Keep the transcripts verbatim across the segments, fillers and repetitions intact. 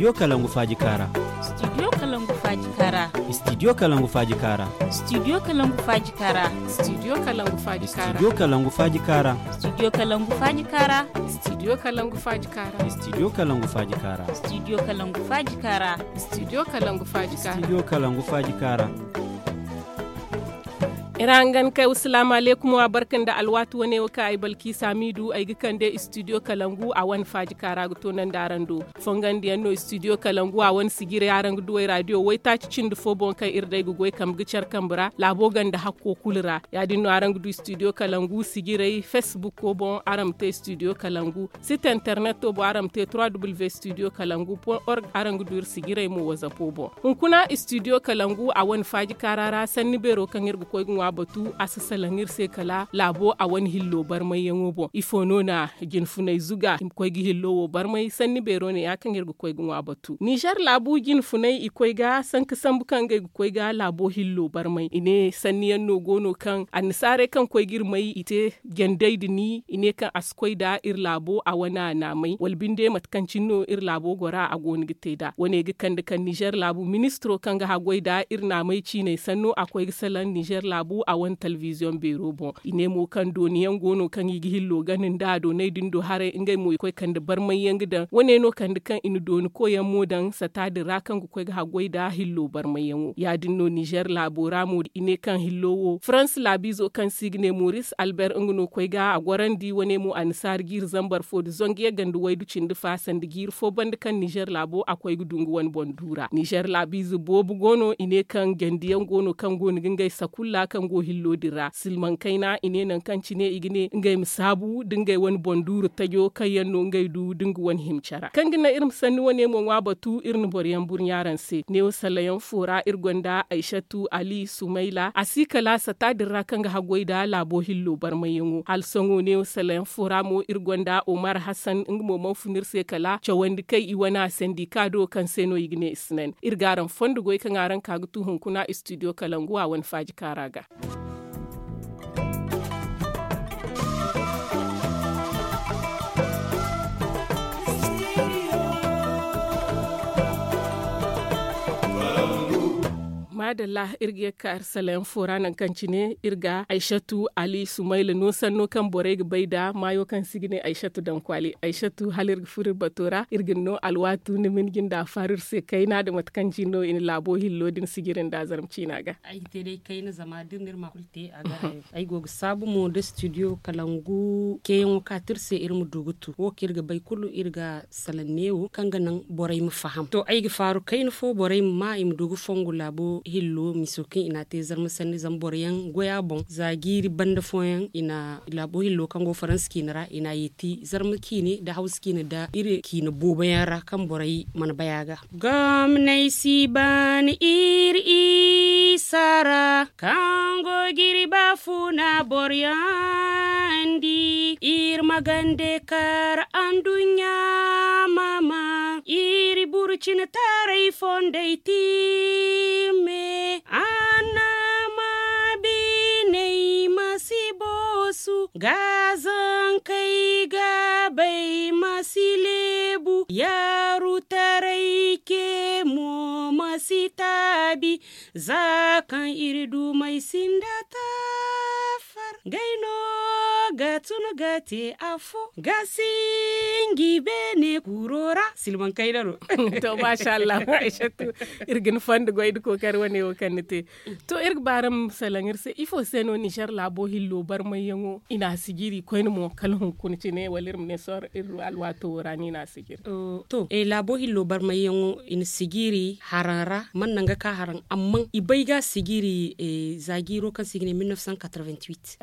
Studio kalangu faaji kaara. Studio kalangu faaji kaara. Studio kalangu faaji kaara. Studio kalangu faaji kaara. Studio kalangu faaji kaara. Studio kalangu faaji kaara. Studio kalangu faaji kaara. Studio kalangu faaji kaara. Studio kalangu faaji kaara. Studio kalangu faaji kaara. Studio kalangu faaji kaara. Studio kalangu faaji kaara. Iri hangan kay wa salaamu aleykum wa barka nda alwaati wane wo kaŋ ay balki saamiidu ay ga kande studio kalangu a wane faaji kaara ga toonandi araŋ do. Fongandiyaŋ no studio kalangu a wane sijiray araŋ ga du ay raadiyo waytaaci cindi fo boŋ kaŋ iri day ga goy kambe ga care kambe ra laabo ganda hakko kulu ra. Ya- din no araŋ ga du studio kalangu sijiray facebook boŋ araŋ ma te studio kalangu. Site interneto boŋ araŋ ma te trois w studio kalangu point org araŋ ga du iri sijiray mo wazapo boŋ. Hunkuna studio kalangu a wane faaji kaara ra sanni beero kaŋ iri ga koy ga ŋwa batu a si salaŋ iri se kala laabo a wane hillo barmayyaŋo boŋ ifo no na jinfunay zuga i ma koy ga hillo wo barmay sanni beero ne- ya kaŋ iri ga koy ga ŋwa batu ninzeer laabu jinfunay i koy ga sanka sambu kaŋ ngey ga koy ga laabo hillo barmay i ne sanniyaŋ no go no kaŋ annasaarey kaŋ koy ga iri may i te jandey din i ne kaŋ a si koy nda iri laabo a wane naamay wala binde mate kaŋ cine no iri laabo gora a go no ga te nd'a wane ga kande kaŋ ninzeer laabu ministiro kaŋ ga haggoy nda iri naamay ciinay sanno a koy ga salaŋ ninzeer laabu a wane talbiziyoŋ beero boŋ. I ne mo kaŋ dooni yaŋ go no kaŋ i ga hillo gana nda doonay din do haray ngey mo i koy kande barmay yaŋ ga daŋ wane no kande kaŋ i na dooni koy yaŋ mo daŋ sata din ra kaŋ ga koy ga haggoy nda hillo barmay yaŋo ya- din no ninzeer laabo ra mo i ne kaŋ hillo wo farans laabiizo kaŋ se i ga ne moris alber nga no koy ga a gorandi wane mo annasaara jiiri zambar fo nda zangu yagga nda waydu cindi fa sanda jiiri fo banda kaŋ ninzeer laabo a koy ga du nga wane boŋ du ra ninzeer laabiize boobo go no i ne kaŋ jandi yaŋ go no kaŋ go no ga ngey sakulla kaŋ go hillo din ra silmaŋ kayna i ne nangu kaŋ cine i ga ne ngey ma saabu nda ngey wane boŋ duuru tajo kaŋ yaŋ no ngey du nda nga wane hima care kaŋ ga naŋ iri ma sanni wane mo ŋwa batu iri na boro yaŋ burɲa araŋ se neewo salayaŋ fo ra iri gonda aysatu ali sumayla a si kala sata din ra kaŋ ga haggoy nda laabo hillo barmayyaŋo hala sohõ neewo salayaŋ fo ra mo iri gonda omar hassan nga mo mana fun iri se kala cawandi kay i wane a sandi ka do kaŋ se no i ga ne i si naŋ iri ga araŋ fondo goy kaŋ araŋ ka ga tu hunkuna studio kalangu a wane faaji kaara ga. Maadalla iri ga ye ga ka iri salayaŋ fo ra nangu kaŋ cine iri ga aysatu ali sumayla no sanno kaŋ borey ga bay nda maayo kaŋ se i ga ne aysatu daŋ kwaali aysatu hala iri ga furo iri bato ra iri ga ni no alwaatu ni ma ni jinde a faaru iri se kayna nda mate kaŋ cine no i na laabo hillo din sijiri nda zarma ciina ga. Ay ga te day kayna zama da iri na iri ma kulu te a ga hayo ay go ga saabu mo nda studio kalangu ceeyaŋo kaati iri se iri ma du ga tu wo kaŋ iri ga bay kulu iri ga salaŋ neewo kaŋ ga naŋ borey ma faham to ay ga faaru kayna fo borey ma ma i ma du ga fongu laabo hillo miso kaŋ i n'a te zarma sanni zama boro yaŋ goy a boŋ za jiiri banda fooyaŋ i na laabo hillo kaŋ go faransa ciine ra i n'a yeeti zarma ciine nda hawsa ciine nda iri ciine boobo yaŋ ra kaŋ borey mana bay a ga. Gomney si ban iri isa ra kaŋ go ga iri baafuna boroyaŋ di iri ma gande kar anduɲɲa ma maa iri burcina taray fondey tiime annama biney ma si boosu gaazankey gaabey ma si leebu yaaru taray ce mo ma si taabi za kaŋ iri dumey sinda taafar ngey no ga tun ga te afo ga sinji beene kuro ra silmaŋ kayna no. To masha allah aysatu iri ga ni fondo goy nda kookari wane wo kaŋ ni te. To iri ga ba araŋ ma salaŋ iri se ifo se no nizer laabo hillo barmayyaŋo i n'a sijiri koyne mo kala hunkuna cine wala iri ma ne sohõ iri alwaato wo ra no i n'a sijiri? To laabo hillo barmayyaŋo i na sijiri haraŋ ra mana naŋ ga ka haraŋ amma i bay ga a sijiri za jiiro kaŋ se i ga ne mille neuf cent quatre-vingt-huit.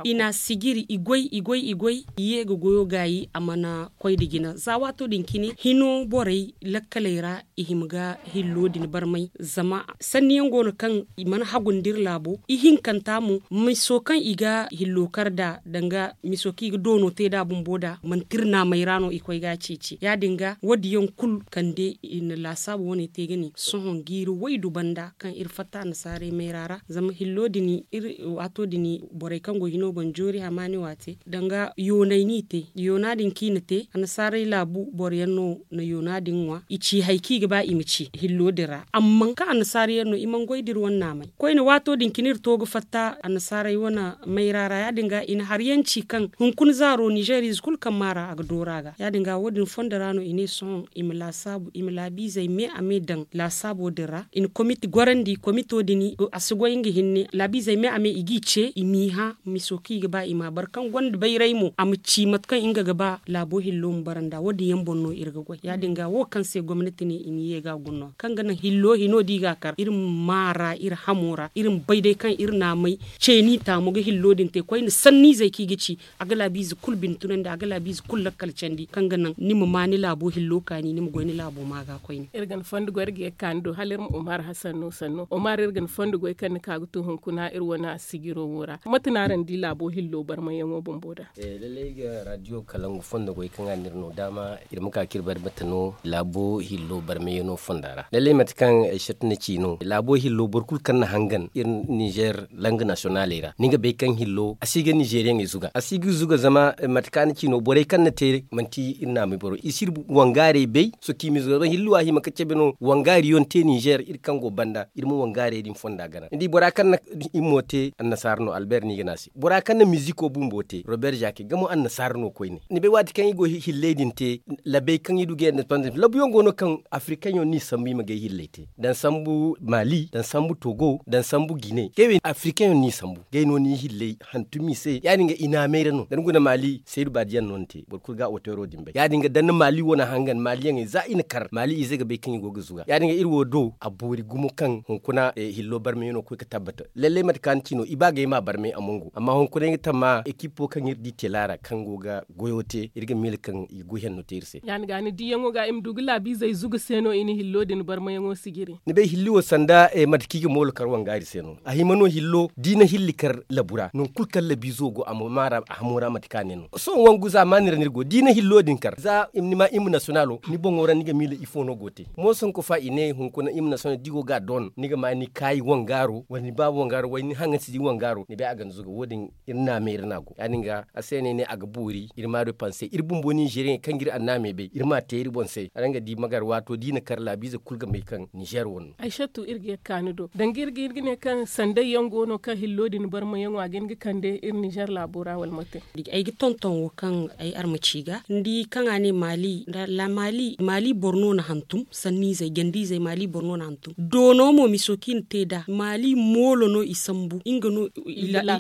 I n'a sijiri i goy i goy i goy i ye ga goyo gaayi a mana koy nda jina za waato din cine hino borey lakkaley ra i hima ga hillo din barmay zama sanniyaŋ go no kaŋ i mana hagu nda iri laabo ihinkanta mo miso kaŋ i ga hillo kar nd'a danga miso kaŋ i ga doono te nd'a bumbo nd'a manti iri naamey ra no i koy ga a ceeci ya- din ga wo- din yaŋ kulu kande i na laasaabu wane te ga ne sohõ jiiri waydu banda kaŋ iri fatta annasaarey mayra ra zama hillo din iri waato din borey kaŋ go hino boŋ joori hamaani waate danga Yoonay no i te. Yoona din kaŋ i na te annasaarey laabu boro yaŋ no na yoona din ŋwa i ci hari kaŋ i ga ba i ma ci hillo din ra amma kaŋ annasaara yaŋ no i mana goy da iri wane naamay koyne waato din cine iri to ga fatta annasaarey wane mayra ra ya- din ga i na hari yaŋ ci kaŋ hunkuna zaaro ninzeeriize kulu kaŋ maa ra a ga dooru a ga ya- din ga wo- din fondo ra no i ne sohõ i ma laasaabu i ma laabiizey me a me daŋ laasaabo din ra i na komite gorandi komito din a si goy nga hinne laabiizey me a me i g'i ce i m'i hã miso kaŋ i ga ba i m'a bare kaŋ gonda bayray mo a ma ci mate kaŋ nga ga ba laabo hillo ma bara nd'a wo- din yaŋ boŋ no iri ga goy ya- din ga wo kaŋ se gomnati ne i ma ye ga guna kaŋ ga naŋ hillo hino da i ga a kar iri ma maa ra iri hamo ra iri ma bay day kaŋ iri naamay ceeni taamu ga hillo din te koyne sanniizey kaŋ i ga ci a ga laabiize kulu bine tunandi a ga laabiize kulu lakkal candi kaŋ ga naŋ ni ma maa ni laabo hillo kaani ni ma goy ni laabo ma ga koyne. Iri ga ni fondo goy iri ga ye ga ka ni do hala iri ma umar hasan no sanno umar iri ga ni fondo goy kaŋ ni ka ga to hunkuna iri wane sijiro wo ra mate no araŋ di laabo hillo barmayyaŋo bumbo da? Lallay iri ga raadiyo kalangu fondo goy kaŋ a na iri no daama iri ma ka kaŋ iri bari mate no laabo hillo barmayyaŋo fonda ra lallay mate kaŋ ay satti na ci no laabo hillo boro kulu kaŋ na hangan iri ninzeer lang nasiyonaaley ra ni ga bay kaŋ hillo a si ga ninzeeriyaŋey zuga a si ga zuga zama mate kaŋ a na ci no borey kaŋ na te manti iri naamay boro i si iri wangaarey bay sohõ kaŋ i ma zuga zama hillo a hima ga cabe no wangaari yaŋ te ninzeer iri kaŋ go banda iri ma wangaarey din fonda gana ni di bora kaŋ na himmo te annasaara no albeer no i ga ne a se bora kaŋ na miziko bumbo te robeer zake nga mo annasaara no koyne ni bay waati kaŋ i go hilley din te labey kaŋ i du ga indepandans labuyaŋ go no kaŋ afirikaŋ yaŋ no i sambu i ma gay hilley te daŋ sambu maali daŋ sambu togo daŋ sambu gine kay wey afirikaŋ yaŋ no i sambu gay no ni hilley hantum i se ya- din ga i naamay ra no da ni guna maali saydu baadiyaŋ no ni te boro kulu ga oteero din bay ya- din ga daŋ na maali wane hangan maaliyaŋey za i na kar maali ize ga bay kaŋ i go ga zuga ya- din ga iri wo do a boori gumo kaŋ hunkuna hillo barmay no ga koy ga tabbata lallay mate kaŋ a na ci no i ba ga ay ma barmay a mongo amma hunkuna ay ga tamma ekipo kaŋ iri di tela ra kaŋ go ga goyo te iri ga miila kaŋ i ga goy henno te iri se. Ya- ni ga ni diyaŋo ga i ma du ga laabiizey zuga se no i na hillo din barmayaŋo sijiri. Ni bay hilli wo sanda mate kaŋ i ga moolo kar wangaari se no a hima no hillo da i na hilli kar labu ra nangu kulu kaŋ labiizo go a ma maara a hamo ra mate kaŋ a ne no sohõ wangu zaamaani ra no iri go da i na hillo din kar za ni ma hima nasiyonalo ni boŋo ra ni ga miila ifo no go te mooso hinka fa i ne hunkuna hima nasiyonalo da i go ga a doon ni ga ma ni kaayi wangaaro wala ni baaba wangaaro wala ni haŋansi di wangaaro ni bay a ga ni zuga wo- din iri naamay iri no a go ya- din ga a se no ay ne a ga boori iri ma du panse iri bumbo ninzeeriyaŋey kaŋ ga iri annaamey bay iri m'a te iri boŋ se araŋ ga di magar waato da i na kar laabiize kulu ga may kaŋ ninzeer wane no. Ay shattu iri ga ye ga ka ni do danga iri ga ne kaŋ sanday yaŋ go no kaŋ hillo din barmayaŋo a ga hin ga kande iri ninzeer laabo ra wala mate? Ay ga tonton wo kaŋ ay armaci ga ni di kaŋ a ne maali maali boro no na hantum sanniizey ganda izey maali boro no na hantum doono mo miso kaŋ i na te nd'a maali moolo no i sambu nga no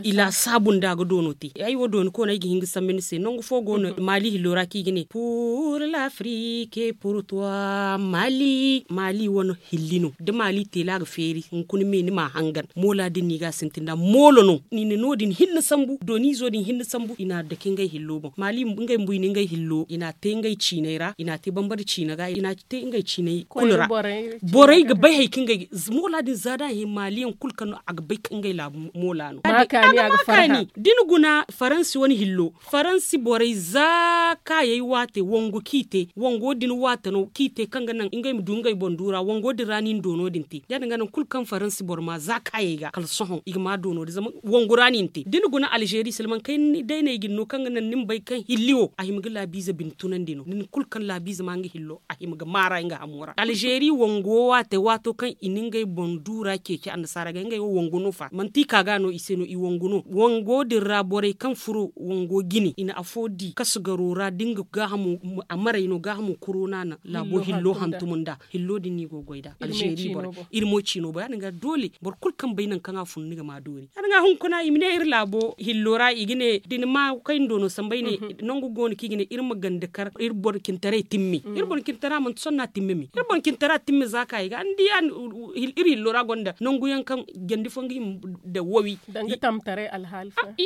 i laasaabu nda a ga doono te ay wo dooni koona ay ga hin ga sambu ni se nangu fo go no maali hillo ra kaŋ i ga ne pur lafrik pur tuwa maali maali wane hilli no da maali teela ga feeri hunkuna me ni m'a hangan moola din no i ga a sintin nd'a moolo no i na no- din hinne sambu dooniizo din hinne sambu i n'a dake ngey hillo boŋ maali ngey bumbo i na ngey hillo i n'a te ngey ciinay ra i n'a te bambara ciina ga i n'a te ngey ciinay kulu ra borey ga bay hari kaŋ ngey moola din za da a hin maaliyaŋ kulu kaŋ no a ga bay kaŋ ngey laabu moola no. Da ni guna faransi wane hillo faransi borey za kaayey waate wango kaŋ i te wango din waate no kaŋ i te kaŋ ga naŋ ngey ma du ngey boŋ duura wango din ra no i na doono din te ya- din ga nangu kulu kaŋ faransi boro ma za kaayey ga kala sohõ i ga ma doono din zama wangu ra no i na te da ni guna alzeeri silmaŋ kayna day no ay ga ni no kaŋ ga naŋ ni ma bay kaŋ hilli wo a hima ga laabiize bine tunandi no nangu kulu kaŋ laabiize ma nga hillo a hima ga maara nga hamo ra alzeeri wango waate waato kaŋ i na ngey boŋ duura ceeci annasaara ga ngey wo wangu no fa manti i ka ga no i se no i wangu no wango din ra borey kaŋ furo wango jine i na afo di kasu garo ra da nga gaahamo a maray no gaahamo kuro no a na laabo hillo hantum nd'a hillo din no i go ga goy nd'a alzeeri borey iri mo ciino boŋ ya- din ga doole boro kulu kaŋ bay nangu kaŋ a fun ni ga ma doori ya- din ga hunkuna i ma ne iri laabo hillo ra i ga ne da ni ma kay ni doono sambu ay ne nangu go no kaŋ i ga ne iri ma ganda kar iri boro cintaray timmi iri boro cintara manti sohõ no a timmi me iri boro cintara timmi za kaayey ga ni di iri hillo ra gonda nangu yaŋ kaŋ jandi fo nga hima daŋ wawi.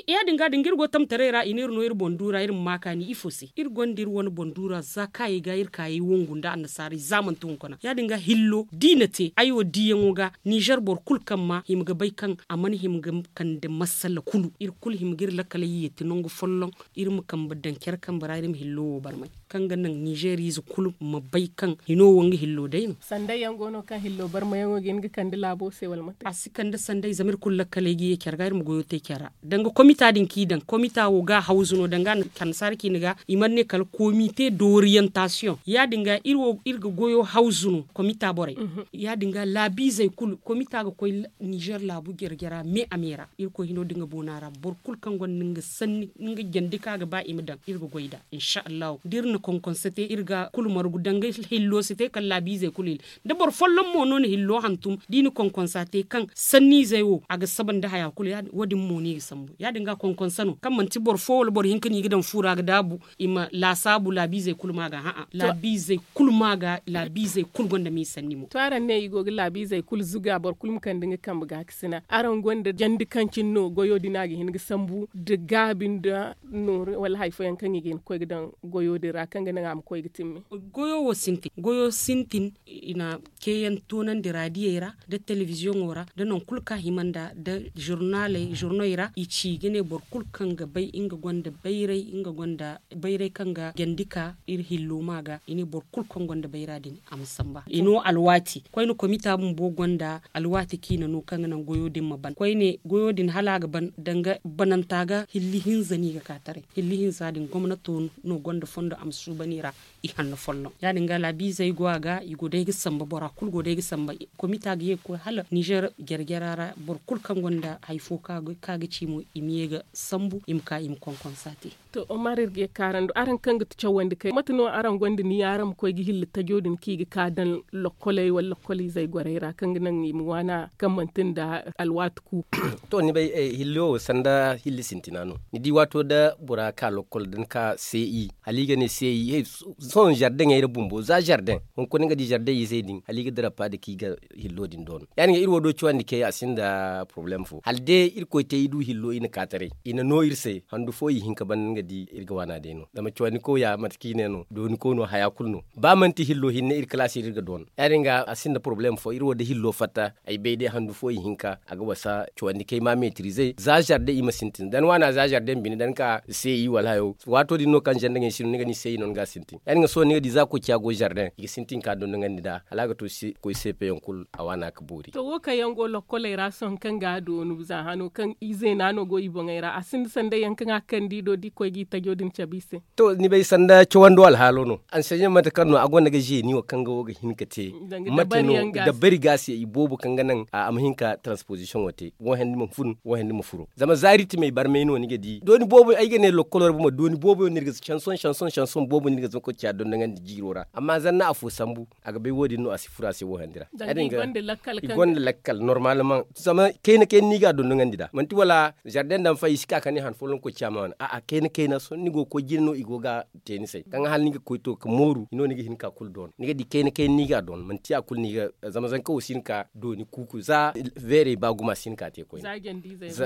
Ya- din ga da nga iri go tamtaray ra i na iri no iri boŋ duura iri ma ma kaani ifo se iri gonda iri wane boŋ duura za kaayey ga iri kaayey wangu nda annasaarey za manti hunkuna ya- din ga hillo da i na te ay wo diyaŋo ga ninzeer boro kulu kaŋ ma hima ga bay kaŋ a mana hima ga kande masala kulu iri kulu hima ga iri lakkaley yeeti nangu folloŋ iri ma kambe daŋ care kambe ra iri ma hillo wo barmay kaŋ ga naŋ ninzeeriize kulu ma bay kaŋ hino wo nga hillo day no. Sanday yaŋ go no kaŋ hillo barmayaŋo ga hin ga kande laabo se wala mate a si kande sanday zama iri kulu lakkaley ga ye care ga iri ma goyo te care ra danga komita din kaŋ i daŋ komita wo ga hawzu no danga annasaara ciine ga i mana ne kala komite d'orientasiyoŋ ya- din ga iri ga goyo hawzu no komita borey. Ya- din ga laabiizey kulu komita ga koy nizer laabu jare jara me a me ra irkoy hino da nga boona ra boro kulu kaŋ gonda nga sanni nga jandi kaŋ a ga ba i ma daŋ iri ga goy nd'a. Insa allahu da iri na konkonsa te iri ga kulu margu danga hillo si te kala laabiizey kulu hilli da boro folloŋ mo no na hillo hantum da i na konkonsa te kaŋ sanniizey wo a ga saba nda haya kulu wo- din mo no i ga sambu ya- din ga konkonsa no kaŋ manti boro fo wala boro hinka no i ga daŋ fu ra ga daabu i ma laasaabu laabiizey kulu ma ga ha'a laabiizey kulu ma ga laabiizey kulu gonda m'i sanni mo. To araŋ ne i go ga laabiizey kulu zuga boro kulu ma kande nga kambe gaakasina araŋ gonda jandi kaŋ cine no goyo din a ga hin ga sambu nda gaabi nda nooru wala hari fooyaŋ kaŋ i ga hin ga koy ga daŋ goyo din ra kaŋ ga naŋ a ma koy ga timmi? Goyo wo sintin goyo sintin i na ceeyaŋ toonandi raadiyey ra nda telebiziyoŋo ra nda nangu kulu kaŋ a hima nd'a nda zurnaaley zurnoy ra i ci ga ne boro kulu kaŋ ga bay nga gonda bayray nga gonda bayray kaŋ ga jandi ka iri hillo ma ga i ne boro kulu kaŋ gonda bayra din a ma samba i no alwaati koyne komita bumbo gonda alwaati kaŋ i na no kaŋ ga naŋ goyo din ma ban koyne goyo din hala a ga ban danga bananta ga hilli hinza no i ga ka taray hilli hinza din gomnato no gonda fondo a ma suuban i ra i hanno folloŋ ya- din ga laabiizey go a ga i go day ga samba bora kulu go day ga samba komita ga ye ga koy hala nizer jare jara ra boro kulu kaŋ gonda hari fo kaŋ a ga ci mo i ma ye ga sambu i ma ka i ma konkonsa te. To omar iri ga ye ga ka araŋ do araŋ kaŋ ga ti cawandi kay mate no araŋ gonda niya araŋ ma koy ga hilli tajo din kaŋ i ga ka daŋ lokkoley wala lokkoliizey gorey ra kaŋ ga naŋ i ma waana kaŋ manti nda alwaati ku? To ni bay hilli wo sanda hilli sintina no ni di waato da bora ka lokkol da ni ka se i hala i ga ne se i sohõ zardeŋey ra bumbo za zardeŋ hunkuna ni ga di zardeŋ izey din hala i ga dira paadi kaŋ i ga hillo din doono ya- din ga iri wo do cawandi kay a sinda porobalem fo hala day irkoy te i du hillo i na ka taray i na no iri se handu fo ihinka banda ni ga di iri ga waana day no zama cawandi koy ya mate kaŋ i ne no dooni koy no haya kulu no ba manti hillo hinne iri kalaasi iri ga doon ya- din ga a sinda porobalem fo iri wo da hillo fatta ay bay day handu fo ihinka a ga wasa cawandi kay ma metirize za zardeŋ i ma sintin da ni waana za zardeŋ bine da ni ka se i wala hayo waato din no kaŋ zardeŋey si no ni ga ni se i no ni ga a sintin ya- din ga sohõ ni ga di za koy ciya go zardeŋ i ga sintin ka dondonandi nd'a hala a ga to koy seepeyaŋ kulu a waana ga boori. To wo kaŋ yaŋ go lokkoley ra sohõ kaŋ ga a doonu za hano kaŋ izeena no go i boŋey ra a sinda sanday yaŋ kaŋ a kande i do da i koy ga i tajo din cabe i se. To ni bay sanda cawando alhaalo no anseɲaŋ mate kaŋ no a gonda ga zeeni wo kaŋ ga wo ga hin ka te mate no dabari ga se i boobo kaŋ ga naŋ a ma hin ka transposition wo te wo handi ma fun wo handi ma furo zama zaari timey barmay no ni ga di dooni boobo ay ga ne lokkolo ra buma dooni boobo yaŋ no iri ga sanson sanson sanson boobo no iri ga zama koy ciya dondoŋandi jiiro ra amma zanna afo sambu a ga bay wo- din no a si furo a se wo handi ra. I gonda lakkal normal maŋ zama kayna kayna no i ga a dondoŋandi nd'a manti wala zardeŋ daŋ fay i si ka kande han folloŋ koy ciya ma wane a'a kayna kayna sohõ ni go ga koy jine no i go ga a te ni se kaŋ hala ni ga koy to ga mooru i no ni ga hin ka kulu doon ni ga di kayna kayna no i ga a doon manti a kulu no i ga zama zanka wo si hin ka dooni kuuku za veerey ba gumo a si hin ka te koyne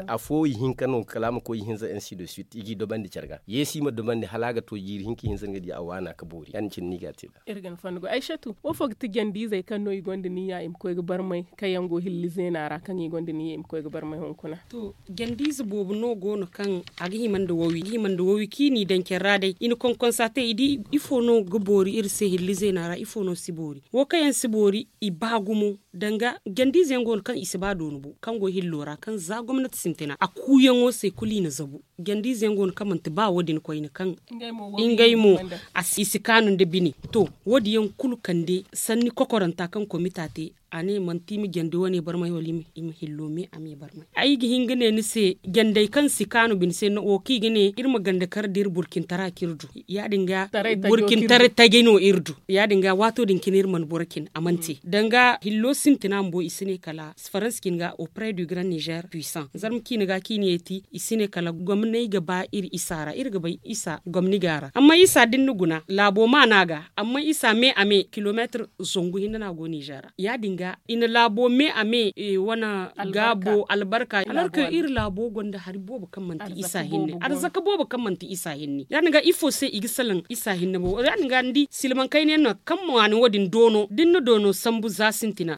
afo ihinka no kala a ma koy ihinza ainsi de suite i g'i dobandi care ga yeesi i ma dobandi hala a ga to jiiri hinka ihinza ni ga di a waana ga boori ya- din cine no i ga a te nd'a. Iri ga ni fondo goy aysatu wo fo ga ti jande-izey kaŋ no i gonda niyya i ma koy ga barmay kaŋ yaŋ go hilli zeena ra kaŋ i gonda niyya i ma koy ga barmay hunkuna? To jande-ize boobo no go no kaŋ a ga hima nda wawi i ga hima nda wawi kaŋ i n'i daŋ care ra day i na konkonsa te i di ifo no ga boori iri se hilli zeena ra ifo no si boori wo kaŋ yaŋ si boori i ba gumo danga jande-ize yaŋ go no kaŋ i si ba dooni bo kaŋ go hillo ra kaŋ za gomnati sintina a kuuyaŋo se kulu i na zabu jande-ize yaŋ go no kaŋ manti ba wo- din koyne kaŋ ngey mo i si kaanu nda bine to wo- din yaŋ kulu kande sanni kokoranta kaŋ komita te a ne manti i ma jande wane barmay wala i ma hillo me a me barmay ay ga hin ga ne ni se jandey kaŋ si kaanu bine se wo kaŋ i ga ne iri ma ganda kar da iri burcintara kaŋ iri du ya- din ga burcintaray taji no iri du ya- din ga waato din cine iri mana boro cine a mana te danga hillo sintina bumbo i si ne kala faransa cine ga au près du grand niger puissant zarma ciine ga kaŋ i na yeeti i si ne kala gomney ga ba iri isa ra iri ga bay isa gomni ga a ra amma isa da ni na guna laabo maana ga amma isa me a me kilometre zangu hinne no a go niger ra ya- din ga i na laabo me a me wane gaabo albarka alors que iri laabo gonda hari boobo kaŋ manti isa hinne arzaka boobo kaŋ manti isa hinne ya- din ga ifo se i ga salaŋ isa hinne bo ya- din ga ni di silmaŋ kayna yaŋ no kaŋ ma waani wo- din doono da ni na doono sambu za sintina.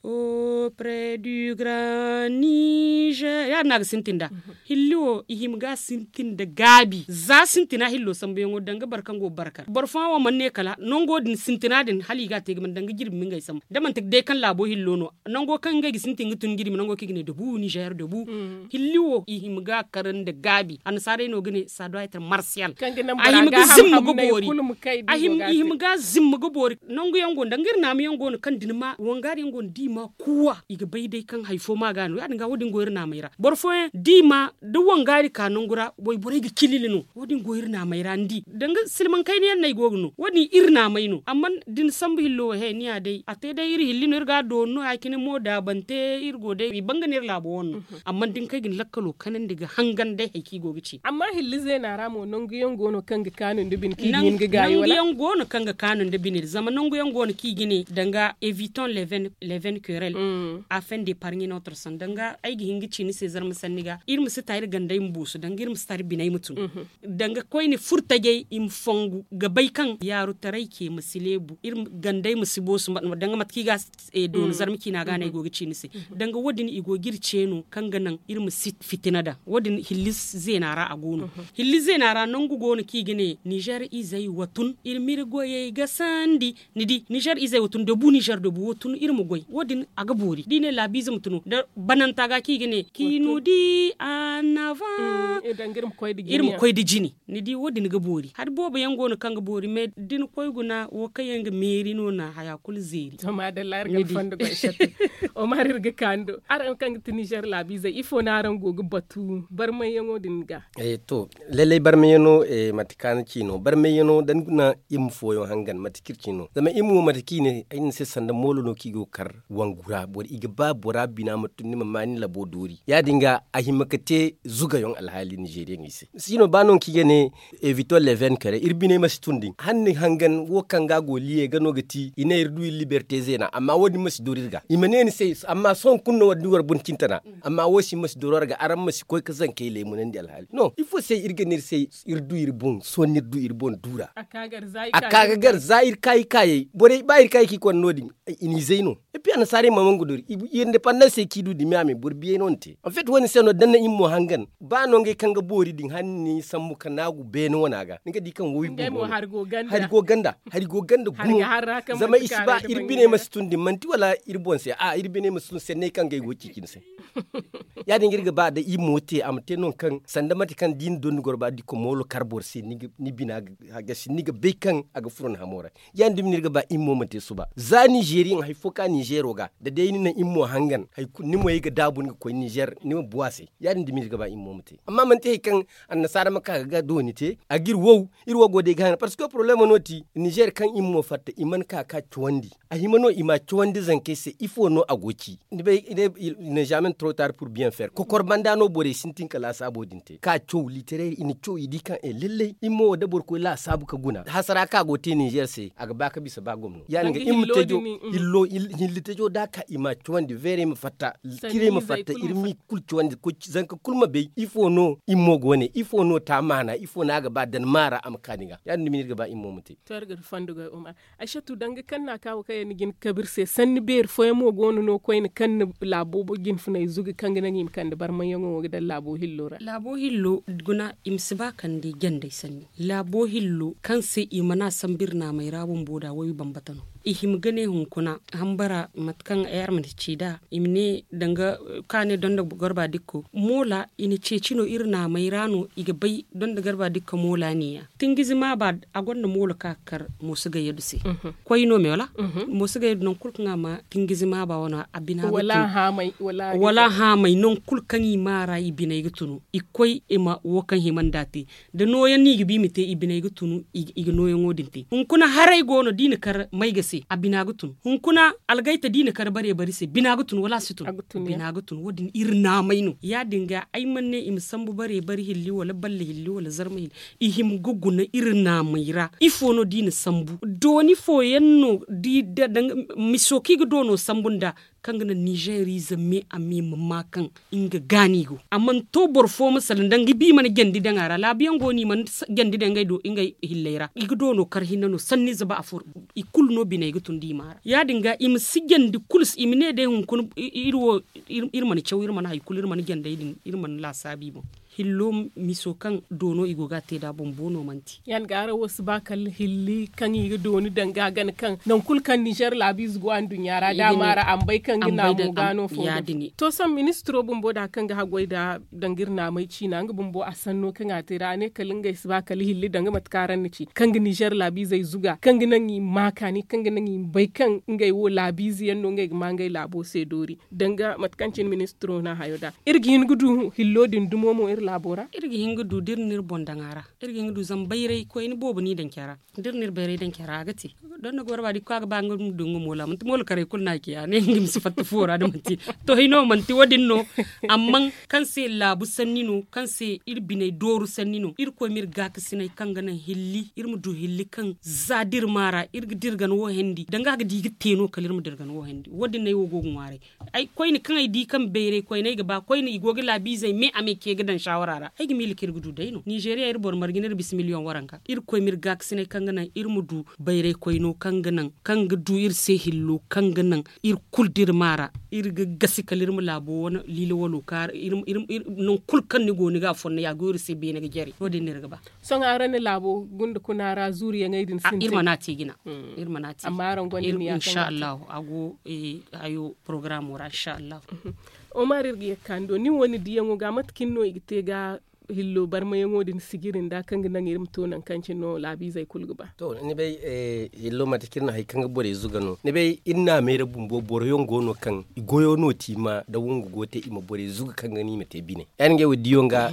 Près du grand niger ya- din no a ga sintin nd'a. Hilli wo i hima ga a sintin nda gaabi za sintina hillo sambuyaŋo danga boro kaŋ go ga barkar boro fooyaŋ wo mana ne kala nango din sintina din hala i ga a te ga mana danga jirbi ma ngey sambu da manti day kaŋ laabo hillo no. Nango kaŋ ngey ga sintin ga tun jirbi nango kaŋ i ga ne dabu nizer dabu. Hilli wo i hima ga a kar nda gaabi annasaarey no ga ne saduwa i tar marsiyal. A hima ga zimma ga boori. I hima ga zimma ga boori. Nangu yaŋ go no danga iri naama yaŋ go no kaŋ da ni ma wangari yaŋ go no da i ma kuuwa i ga bay day kaŋ hari fo ma ga no ya- din ga wo- din go iri naamey ra boro fooyaŋ da i ma da wangari ka nangu ra wayborey ga cilili no. Wo- din go iri naamey ra ni di danga silmaŋ kayna yaŋ no ay go ga no wo- din iri naamey no amma da ni sambu hillo wo he ni ya day a te day iri hilli no iri ga a doori no ya- cine mo daabante iri go day i banga no iri laabo wane no. Amma da ni kay ga ni lakkalo kanandi ga hangan day hari kaŋ i go ga ci. Amma hilli zeena ra mo nangu yaŋ go no kaŋ ga kaanu nda bine kaŋ i ga hin ga gaayi wala nangu yaŋ go no kaŋ ga kaanu nda bine zama nangu yaŋ go no kaŋ i ga ne danga eviton leven kerel. A fen de parni notre son danga ay ga hin ga ci ni se zarma sanni ga iri ma si ta iri gandey ma boosu danga iri ma si ta iri biney ma tun. Danga koyne furtajey i ma fongu ga bay kaŋ yaaru taray ce ma si leebu iri gandey ma si boosu danga mate kaŋ i ga a doona zarma ciina ga no ay go ga ci ni se. Danga wo- din i go ga iri ce no kaŋ ga naŋ iri ma si fitina daŋ wo- din hilli zeena ra a go no. Hilli zeena ra nangu go no kaŋ i ga ne nizer izey wa tun iri ma iri goyey ga sandi. Ni di nizer izey wo tun dabu nizer dabu wo tun iri ma goy wo- din a ga boori da i ne laabiize ma tun wo da bananta ga kaŋ i ga ne kaŋ i no di annavan iri ma koy nda jine. Ni di wo- din ga boori hari boobo yaŋ go no kaŋ ga boori mais da ni koy guna wo kaŋ yaŋ ga meeri no na haya kulu zeeri. Omar iri ga kaanu do araŋ kaŋ ga ti nizer laabiizey ifo no araŋ go ga batu barmayyaŋo din ga? To, lallay barmayyaŋo mate kaŋ a na ci no barmayyaŋo da ni guna iri ma fooyaŋ hangan mate kaŋ iri ci no zama iri ma wo mate kaŋ i ne ay na ni se sanda moolo no kaŋ i go ga kar wangu ra boro i ga ba bora bina ma tun ni ma ma ni labo doori ya- din ga a hima ga te zugayaŋ alhaali nizeriyaŋey se. Siino ba no kaŋ i ga ne eviton leven kare iri biney ma si tun din hala ni hangan wo kaŋ ga a go liye ga no ga ti i ne iri du iri liberte zeena amma wo- din ma si doori iri ga i ma ne ni se. Amma sohõ kulu no war di war bun cintana amma wo- si ma si doori war ga araŋ ma si koy ga zankey leemunandi alhaali no ifo se iri ga ne iri se iri du iri boŋ sohõ no iri du iri boŋ du ra. A ka ga gar za iri kaayi kaayey borey ba iri kaayi kaayey kaŋ i konda no- din i n'i zay no. Eppi annasaarey ma mangu doori i indepandansey kaŋ i du dumi a me boro biyey no ni te anfet wo- din se no da ni na iri mo hangan ba no ngey kaŋ ga boori din hala ni sambu ka naagu beene wana ga ni ga di kaŋ wo iri bumbo no. Hari go ganda hari go ganda gumo. Zama i si ba iri biney ma si tun din manti wala iri boŋ se a iri biney ma si tun senney kaŋ ga ay go ga ci cine se. Ya- din ga iri ga ba da iri mo te a ma te nangu kaŋ sanda mate kaŋ da i na dondi goro ba da i komoolo kar boro se ni bina ga hagasi ni ga bay kaŋ a ga furo ni hamo ra. Ya- din dumi no iri ga ba iri mo ma te suba za nizeriyaŋ hari fo ka nizero ga da day ni naŋ iri mo hangan hari kulu ni mo ye ga daabu ni ga koy nizer ni ma bu a se. Ya- din dumi no iri ga ba iri mo ma te amma manti hari kaŋ annasaara ma ka ga dooni te a ga iri wow. Iri wo go day ga haŋ parceque problemo no ti nizer kaŋ iri mo fatta i mana ka ga cawandi a hima no i ma a cawandi zankey se ifo no a go ga ci? Ni bay i ne jamais trop tard pour bien faire kokor banda no borey sintin ka laasaabo din te ka caw literer i na caw i di kaŋ e lallay iri mo da boro koy laasaabu ka guna hasara kaŋ a go ga te nizer se a ga ba ka bisa ba gomno ya- din ga iri ma tejo. Hillo hilli tejo da a ka i ma a cawandi veerey ma fatta. Kirey ma fatta iri ma i kulu cawandi zanka kulu ma bay ifo no iri mo go ne ifo no ta maana ifo no a ga ba danmaara a ma ka ni ga ya- din dumi no iri ga ba iri mo ma te. To iri ga iri fondo ga umar. Aysatu danga kaŋ no a ka wo kaŋ yaŋ ni ga hin ga kabe iri se sanni beeri fooyaŋ mo go no no koyne kaŋ na laabo jinfunay zugu kaŋ ga naŋ i ma kande barmayyaŋo wo ga daŋ laabo hillo ra. Laabo hillo guna i ma si ba kande jandey sanni laabo hillo kaŋ se i mana sambu iri naamey ra bumbo da wo i bambata no. I hima ga ne hunkuna hambara mate kaŋ ay araŋ mana ci nd'a i ma ne danga kaŋ a ne donda garba dikko moola i na ceeci no iri naamey ra no i ga bay donda garba dikko moola neeya. Tingizi maaba a gonda moolo kaŋ a ga kar mooso gayyadu se. Koy no me wala mooso gayyadu nangu kulu kaŋ a ma tingizi maaba wane a bina ga tunu. Wala haamay nangu kulu kaŋ i maara i biney ga tunu i koy i ma wo kaŋ hima nd'a te. Da nooyaŋ no i ga ba i ma te i biney ga tunu i ga nooyaŋo din te hunkuna haray go no da i na kar mayga se a bina ga tunu hunkuna algayta da i na kar bare bari se bina ga tunu wala a si tunu? Bina ga tunu wo- din iri naamay no ya- din ga ay mana ne i ma sambu bare bari hilli wala balle hilli wala zarma hilli. I hima ga guna iri naamey ra ifo no da i na sambu dooni fooyaŋ no da i da danga miso kaŋ i ga doono sambu nd'a. kaŋ ga naŋ ninzeeriize me a me ma ma kaŋ nga ga no i go a mana to boro fo ma salaŋ da nga bi mana jandi daŋ a ra laabu yaŋ go no i mana jandi daŋ ngey do ngey hilley ra i ga doono kar hinne no sanniize ba afo i kulu no biney ga tun da i maara ya- din ga i ma si jandi kulu se i ma ne day hunkuna iri wo iri mana caw iri mana hari kulu iri mana jandey din iri mana laasaabu i boŋ. Hillo miso kaŋ doono i go ga a te nd'a bumbo no manti. Ya- din ga araŋ wo si ba kala hilli kaŋ i ga dooni danga gana kaŋ nangu kulu kaŋ ninzeer laabiize go anduɲɲa ra da a maara a ma bay kaŋ ga naamo ga no fo. To sohõ ministiro bumbo da kaŋ ga haggoy nd'a danga iri naamay ciina nga bumbo a sanno kaŋ a te nd'a a ne kala ngey si ba kala hilli danga mate kaŋ araŋ na ci kaŋ ga ninzeer laabiizey zuga kaŋ ga naŋ i ma ma kaani kaŋ ga naŋ i ma bay kaŋ ngey wo laabiize yaŋ no ngey ga ma ngey laabo se doori. Danga mate kaŋ cine ministiro no a hayo nd'a iri ga hin ga du hillo din dumo mo iri laabo ra. Iri ga hin ga du da iri na iri boŋ daŋ a ra. Iri ga hin ga du zama bayray koyne boobo no i daŋ care ra da iri na iri bayray daŋ care ra a ga te. Donda gooro ba da i ga koy a ga ba nga ma du nga moolo a manti moolo karay kulu no a ci a ne nga ma si fatta fuwo ra da manti. To hino manti wo- din no. Amma kaŋ se laabu sanni no kaŋ se iri biney dooru sanni no irkoy ma iri gaakasinay kaŋ ga naŋ hilli iri ma du hilli kaŋ za da iri maara iri ga dirgan wo hendi danga a ga di ga te no kala iri ma dirgan wo hendi wo- din no ay wo go ga ŋwaaray. Koyne kaŋ ay di kaŋ bayray koyne ay ga ba koyne i go ga laabiizey me a me ce ga daŋ saawara ra ay ga miila kaŋ iri ga du day no ninzeeriya iri boro marga no iri bisa miliyoŋ waranka irkoy ma iri gaakasinay kaŋ ga naŋ iri ma du bayray koyno kaŋ ga naŋ kaŋ ga du iri se hillo kaŋ ga naŋ iri kulu da iri maara iri ga gasi kala iri ma laabo wane liila walo kaara. Nangu kulu kaŋ ni go ni ga a fonda ya go iri se beene ga jare wo- din no iri ga ba. Sohõ araŋ na laabo gunda kuna ra zuuriyaŋey din sintin iri mana a te jina. Iri mana a te amma araŋ gonda niya kaŋ ga a te. Insha allahu a go hayo porogaramo ra insha allahu. Omar iri ga ye ga ka ni do nin wo ni diyaŋo ga mate cine no i ga te ga hillo barmayaŋo din sijiri nda kaŋ ga naŋ iri ma to nangu kaŋ cine no laabiizey kulu ga ba. To ni bay hillo mate kaŋ iri na hari kaŋ ga borey zuga no ni bay iri naamey ra bumbo boro yaŋ go no kaŋ i goyo no te i ma nda wongu go te i ma borey zuga kaŋ ga no i ma te bine ya- din ga ay wo diyaŋ ga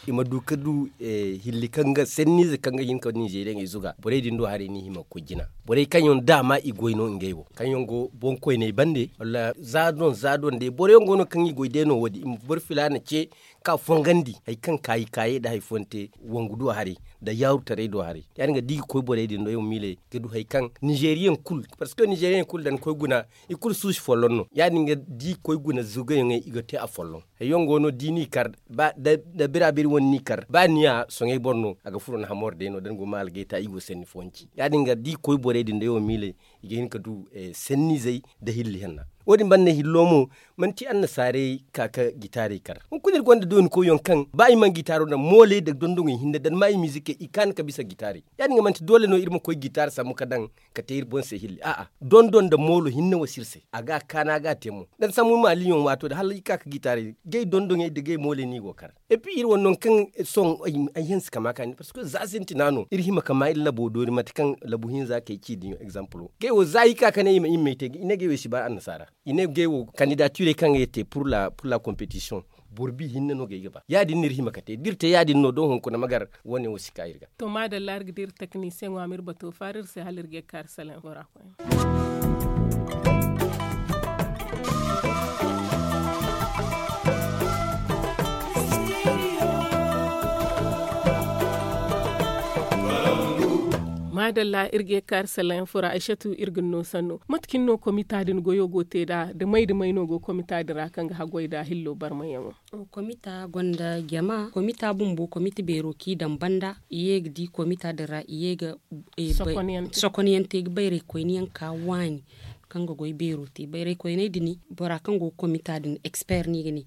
i ma du ga du hilli kaŋ ga sanniize kaŋ ga hin ka ninzeeriyaŋey zuga borey din do haray no i hima ga koy jina. Borey kaŋ yaŋ daama i goy no ngey wo kaŋ yaŋ go boŋkoyney bande wala za doŋ za doŋ day boro yaŋ go no kaŋ i goy day no wo- din i ma boro filaana ce ka fongandi hari kaŋ kaayi kaayey nda hari fooyaŋ te wangu do haray nda yaarutaray do haray. Ya- din ga da i ga koy borey din do ay wo miiley ga du hari kaŋ ninzeeriyaŋ kulu parceque ninzeeriyaŋ kulu da ni koy guna i kulu suusi folloŋ no ya- din ga da i ga koy guna zugayaŋey i ga te a folloŋ. Hari yaŋ go no da i n'i kar da bira biri wane n'i kar ba ni ya soŋay boro no a ga furo ni hamor day no da ni go ma algayta i go sanni fooyaŋ ci ya- din ga da i ga koy borey din day wo miiley i ga hin ka du sanniizey nda hilli hanna. Wo- din banda hillo mo manti annasaarey ka ga gitaarey kar hunkuna iri gonda dooni koyyaŋ kaŋ ba i mana gitaaro daŋ mooley nda dondoŋey hinne da ni ma i miizikey i kaanu ka bisa gitaarey. Ya- din ga manti doole no iri ma koy gitaar sambu ga daŋ ka te iri boŋ se hilli a'a dondon nda moolo hinne wo si iri se a ga a kaana ga a te mo da ni sambu maaliyaŋ waato din hala i ka ga gitaaray gay dondoŋey nda gay mooley no i go ga kar. Epi iri wane nangu kaŋ sohõ ay hanse kama kaani parceque za sintina no iri hima kama iri labo doori mate kaŋ labu hinza kay ci diyaŋ egzampulo gay wo za i ka ka ne i ma i ma may te i ne gay wo i si ba annasaara i ne gay wo kandidatirey kaŋ ga ye te pur la kompetisiyoŋ. Boro bi hinne no gay ga ba ya- din no iri hima ka te da iri te ya- din no da hunkuna ma gar wane wo si ka iri ga. To maadalla iri ga dira teknisiyeŋo a ma iri bato faara iri se hala iri ga ye ga kaari salaŋ fo ra. Maadalla iri ga ye ga kaari salaŋ fo ra aysatu iri ga ni no sanno mate cine no komita din goyo go te nd'a da may da may no go komita din ra kaŋ ga haggoy nd'a hillo barmayaŋo? Komita gonda jama komita bumbo komita beero kaŋ i daŋ banda i ye ga di komita din ra i ye ga sokonyaŋ te ga bayray koyne yaŋ ka waani kaŋ ga goy beero te bayray koyney din bora kaŋ go ga komita din eksper no i ga ne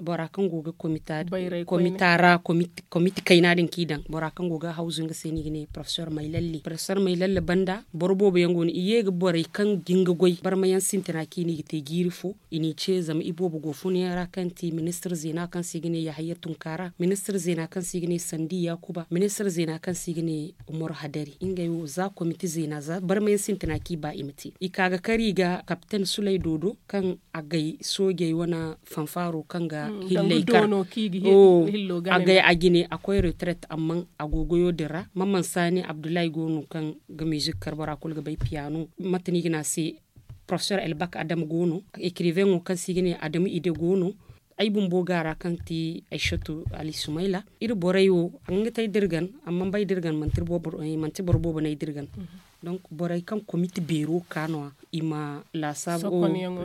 bora kaŋ go ga komita ra komita kayna din kaŋ i daŋ bora kaŋ go ga hawzu nga se no i ga ne porofesor maylalle porofesor maylalle banda boro boobo yaŋ go no i ye ga borey kaŋ ga hin ga goy barmayaŋ sintina kaŋ i ne i ga te jiiri fo. I n'i ce zama i boobo go funa yaŋ ra kaŋ ti ministir zeena kaŋ se i ga ne yahaya tunkaara ministir zeena kaŋ se i ga ne sandi yaakuba ministir zeena kaŋ se i ga ne umar hadari ngey wo za komite zeena za barma yaŋ sintina kaŋ i ba i ma te i ka ga kar i ga kapten sulay doodo kaŋ agay soojey wane fanfaaro kaŋ ga hillay kar agay a jine a koy retret amma a go goyo din ra mamman saani abdullahi go no kaŋ ga mizik kar bora kulu ga bay piyaano mate no i ga ne a se porofesor elbak adama go no ekiriveŋo kaŋ se i ga ne adama ide go no. Ay bumbo ga a ra kaŋ ti aysatu ali sumayla iri borey wo a ga nga te ay dirgan amma bay dirgan manti boro boobo no ay dirgan. Donc borey kaŋ komite beero ka no- ya i ma laasaabu.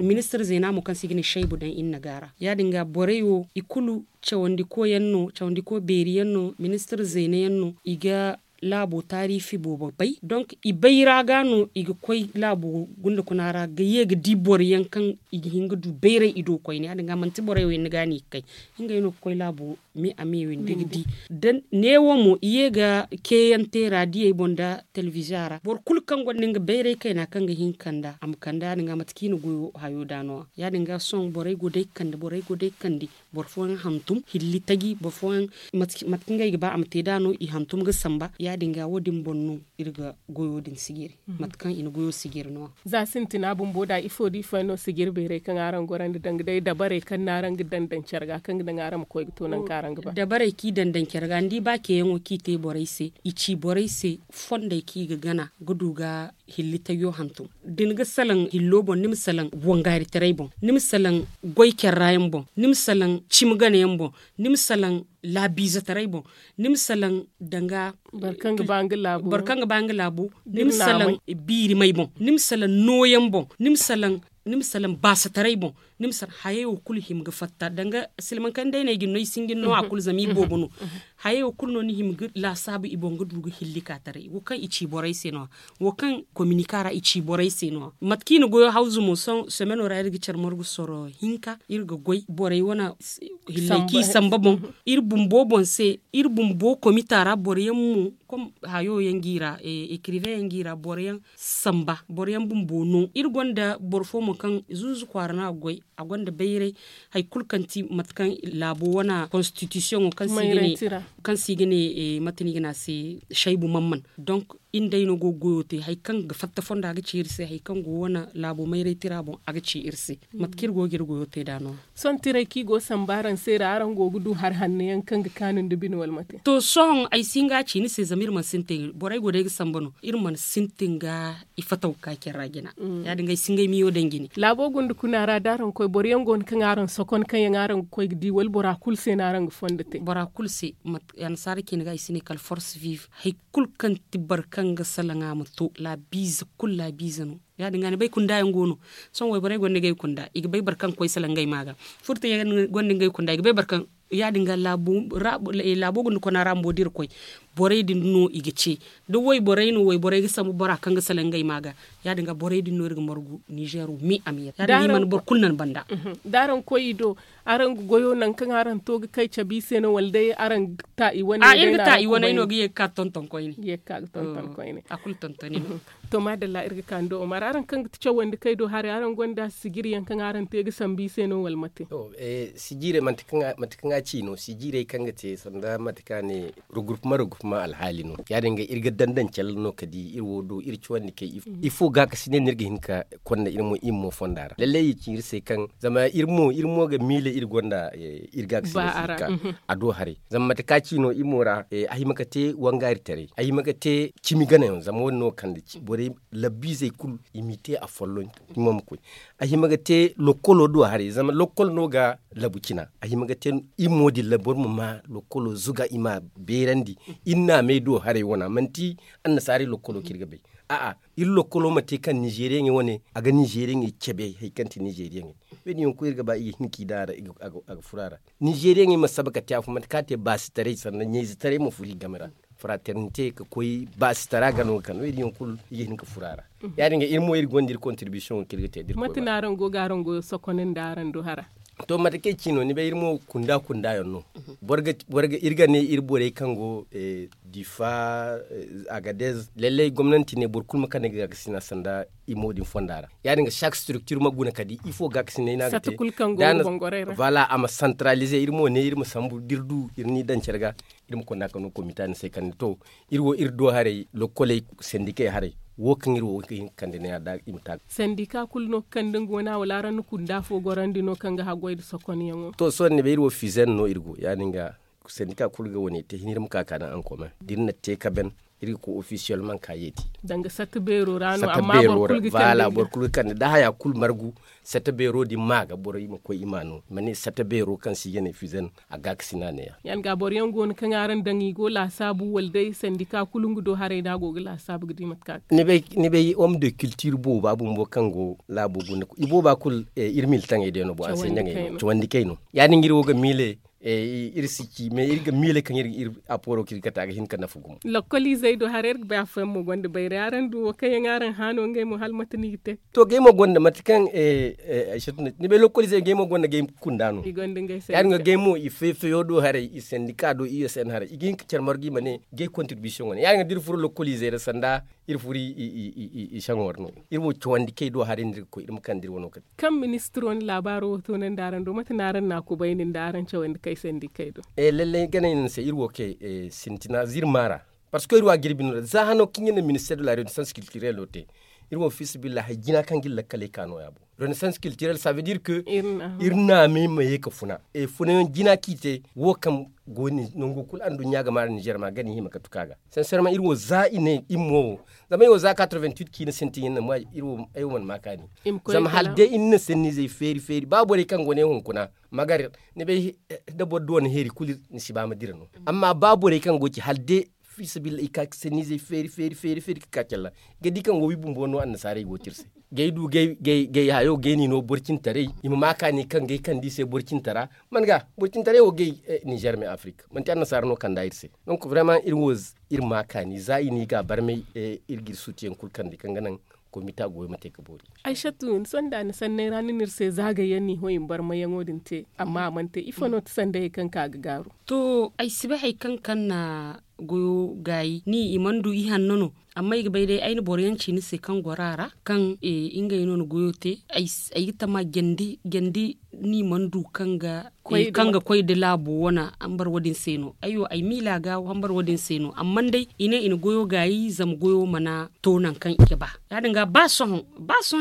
Ministir zeena mo kaŋ se i ga ne saybu daŋ iri na gaara ya- din ga borey wo i kulu cawandi ko yaŋ no cawandi ko beeri yaŋ no ministir zeena yaŋ no i ga laabo taariifi boobo bay donc i bay ra ga no i ga koy laabo gunda kuna ra ga ye ga di boro yaŋ kaŋ i ga hin ga du bayray i do koyne ya- din ga manti borey wo yaŋ ni ga no i ga kay ngey no ga koy laabo me a me windi ga di. Neewo mo i ye ga ceeyaŋ te raadiyey boŋ nda telebiziya ra boro kulu kaŋ gonda nga bayray kayna kaŋ ga hin ga kand'a a ma kand'a ya- din ga mate kaŋ i na goyo hayo da no- ya ya- din ga sohõ borey go day ga kande borey go day ga kande boro fooyaŋ hantum hilli taji boro fooyaŋ mate kaŋ ngey ga ba a ma te da no i hantum ga samba ya- din ga wo- din boŋ no iri ga goyo din sijiri mate kaŋ i na goyo sijiri no- ya. Za sintina bumbo da ifo da ifo yaŋ no sijiri beerey kaŋ araŋ gorandi danga day dabarey kaŋ no araŋ ga daŋ daŋ care ga kaŋ ga naŋ araŋ ma koy ga to nangu kaŋ araŋ ga ba? Dabarey kaŋ i daŋ daŋ care ga ni di ba ceeyaŋo kaŋ i te borey se i ci borey se fondey kaŋ i ga gana ga du ga hilli tayyo hantum da ni ga salaŋ hillo boŋ ni ma salaŋ wangaaritaray boŋ ni ma salaŋ goy care ra yaŋ boŋ ni ma salaŋ cimi gana yaŋ boŋ ni ma salaŋ laabiizetaray boŋ ni ma salaŋ danga boro kaŋ ga ba nga laabu ni ma salaŋ biirimay boŋ ni ma salaŋ nooyaŋ boŋ ni ma salaŋ baasataray boŋ ni ma salaŋ hayey wo kulu hima ga fatta danga silmaŋ kaŋ day no ay ga ni no ay sinjin no a kulu zama i boobo no hayey wo kulu no ni hima ga laasaabu i boŋ ga du ga hilli ka taray wo kaŋ i ci borey se no- ya wo kaŋ kominika ra i ci borey se no- ya mate kaŋ i na goyo hawzu mo sohõ semeno ra iri ga care margu soro hinka iri ga goy borey wane hilley kaŋ i samba boŋ iri bumbo boŋ se iri bumbo komita ra boro yaŋ mo kom hayo yaŋ ga i ra ekiriveŋ yaŋ ga i ra boro yaŋ samba boro yaŋ bumbo no iri gonda boro fo mo kaŋ zuuzu kwaara no a ga goy a gonda bayray hari kulu kaŋ ti mate kaŋ laabo wane konstitisiyoŋo kaŋ se i ga ne mate no i ga ne a se saybu mamman donk iri nda ay no go ga goyo te hari kaŋ ga fatta fondo a ga ci iri se hari kaŋ go wane laabo mayray tira boŋ a ga ci iri se mate kaŋ iri go ga iri goyo te nd'a no- ya. Sohõ tiray kaŋ i go ga sambu araŋ se ra araŋ go ga du hari hanno yaŋ kaŋ ga kaanu nda bine wala mate? To sohõ ay si hin ga a ci ni se zama iri mana sintin borey go day ga sambu no iri mana sintin ga i fataw ga ka care ra jina ya- din ga ay si ngey miyo daŋ jine. Laabo gunda kuna ra da araŋ koy boro yaŋ go no kaŋ araŋ sokon kaŋ yaŋ araŋ ga koy ga di wala bora kulu se no araŋ ga fondo te? Bora kulu se annasaara cine ga i si ne kala force vive hari kulu kaŋ ti boro kaŋ ga salaŋ a ma to laabiize kulu laabiize no ya- din ga ni bay kunda yaŋ go no sohõ wayborey gonda ngey kunda i ga bay boro kaŋ ga koy salaŋ ngey ma ga furtayaŋ gonda ngey kunda i ga bay boro kaŋ ya- din ga laabo gunda kona ra bumbo da iri koy borey din no i ga ce da wayborey no wayborey ga sambu bora kaŋ ga salaŋ ngey ma ga ya- din ga borey din no iri ga margu nizeero me a me ya- din ga i mana boro kulu naŋ banda. Da araŋ koy i do araŋ ga goyo nangu kaŋ araŋ to ga kay cabe i se no wala day araŋ ga ta i wane a iri ga ta i wane no ga ye ga ka ga tonton koyne a kulu tontoni no. To maadalla iri ga ka ni do omar araŋ kaŋ ga ti cawandi kay do haray araŋ gonda sijiri yaŋ kaŋ araŋ te ga sambu i se no wala mate? Sijirey mate kaŋ a ci no sijirey kaŋ ga te sanda mate kaŋ a ne rugurpuma rugurpuma alhaali no ya- din ga iri ga daŋ daŋ calla no kala da iri wo do iri cawandi kay ifo gaakasinay no iri ga hin ga konda iri mo fonda ra lallay i ci iri se kaŋ zama iri mo ga miila iri gonda iri gaakasinay se a do haray zama mate kaŋ a ci no iri mo ra a hima ga te wangaari taray a hima ga te cimi ganayaŋ zama wo- din no ga kande borey labbiizey kulu i m'i te afolloŋ cimo ma koy a hima ga te lokkolo do haray zama lokkol no ga labu cina a hima ga te iri mo din ra boro ma ma lokkolo zuga i ma a beerandi iri naamey do haray wana manti annasaarey lokkolo kaŋ iri ga bay a'a iri lokkolo ma te kaŋ nizeeriyaŋey wane a ga nizeeriyaŋey cabe hari kaŋ ti nizeeriyaŋey wo- din yaŋ kulu iri ga ba i ga hin ka i daŋ a ra a ga furo a ra nizeeriyaŋey ma saba ga te afo mate kaŋ a te baasitaray sanda ɲayzetaray ma furo i game ra fraternite ga koy baasitara ga no ga kande wo- din yaŋ kulu i ga hin ga furo a ra ya- din ga iri mo iri gonda iri kontiribisiyoŋo kaŋ iri ga te da iri koy mate no araŋ go ga araŋ goyo sokon nda araŋ do hara to mate kaŋ ay ci no ni bay iri mo kunda kunda yaŋ no boro ga iri ga ne iri borey kaŋ go difa agadez lallay gomnanti ne boro kulu ma kande ga gaakasina sanda iri mo din fonda ra ya- din ga chaque structure ma guna kala da ifo gaakasina no a ga te voilà a ma santaralize iri mo ne iri ma sambu da iri du iri n'i daŋ care ga iri ma konda kala no komita ni se kala ni to iri wo iri do haray lokkoley sendikey haray wo kaŋ iri wo ga hin ga kande neeya da i ma ta ga sendika kulu no ga kande nga wana wala araŋ na kunda fo gorandi no kaŋ ga haggoy nda sokonyaŋo to sohõ ni bay iri wo fizen no iri go ya- din ga sendika kulu ga wane te hin iri ma ka ka daŋ ankomen da iri na te ka ben iri ga koy ofisiyel manka yeeti. Danga satta beero ra no. Amma boro kulu ga kande da haya kulu margu. Satta beero din ma ga borey ma koy i ma no i ma ne satta beero kaŋ si ga ne fizen a ga ga sina ne ya. Yaŋ ga boro yaŋ go no kaŋ araŋ daŋ i go laasaabu wala day sandika kulu nga do haray no a go ga laasaabu ga di mate kaŋ a ga. Ni bay homme de culture booba bumbo kaŋ go laabo guna i booba kulu iri miltaŋey day no boro anseɲaŋey no cawandi kay no. Ya- din ga iri wo ga miile iri si ci mais iri ga miile kaŋ iri aporo kaŋ iri ga kate a ga hin ga nafa gumo. Lokoliizey do haray iri ga bay afooyaŋ mo gonda bayray araŋ du wo kaŋ yaŋ araŋ haano ngey mo hala mate no i ga te? To gay mo gonda mate kaŋ ay satu no ni bay lokoliizey gay mo gonda gay kunda no. Ya- din ga gay mo i fay fayo do haray i sandika do i s n haray i ga hin ga care margu i ma ne gay kontiribisiyoŋ wane ya- din ga da iri furo lokoliizey ra sanda iri furo i saŋo ra no. Iri wo cawandi kay do haray no iri ga koy iri ma kande iri wano kate. Kaŋ ministiro ni laabaaro wo toonandi araŋ do mate no araŋ na a kubayni nda araŋ cawandi kay sandikey do? Lallay ganay no ni se iri wo kay sintina zirma ra. Parce que iri wo a jirbi no za hano kaŋ iri na minister de la renaissance kiltirel wo te. Iri wo fiisabilillahi hay jina kaŋ ga iri lakkaley ka nooya bo. Renaissance kiltirel ça veut dire que iri naamey ma ye ga funa. Funayaŋ jina kaŋ i te wo kaŋ go nango kulu anduɲɲa ga maari nizer ma gana i hima ga tuka ga. Sanserma iri wo za i ne iri mo wo zama ay wo za quatre-vingt-huit kaŋ i na sintin iri na ay wo mana ma kaani. Zama hala day iri na sanniizey feeri feeri ba borey kaŋ go ne hunkuna magar ni bay da boro du wane heeri kulu ni si ba ma dira no. Amma ba borey kaŋ go ci hala day fiisabilillahi i ka sanniizey feeri feeri feeri feeri ga ka calla ga di kaŋ wo wi bumbo no annasaarey go te iri se. Gay du gay hayo gay ni no boro cintaray i ma ma kaani kaŋ gay kande i se boro cintara. Man ga boro cintaray wo gay nizer me afirika manti annasaara no kanda iri se. Donc vraiment iri wo iri ma kaani za i ne i ga barmay iri ga iri sutiyaŋ kulu kande kaŋ ga naŋ komita goyo ma te ga boori. Aysatu ni sonda ni sanney ra ni na iri se zaagayyaŋ no i ho i ma barmayyaŋo din te amma a mana te ifo no ti sandayey kaŋ ka ga gaaru? To ay si bay hari kaŋ kaŋ na goyo gaayi ni i mana du ihanno no. Amma ay ga bay day ay na boro yaŋ ci ni se kaŋ goro a ra kaŋ ngey no na goyo te. Ay ga tama jandi ni mana du kaŋ ga koy da laabo wane hambar wo- din se no ay wo ay miila ga hambar wo- din se no amma day i ne i na goyo gaayi zama goyo mana to nangu kaŋ i ga ba. Ya- din ga ba sohõ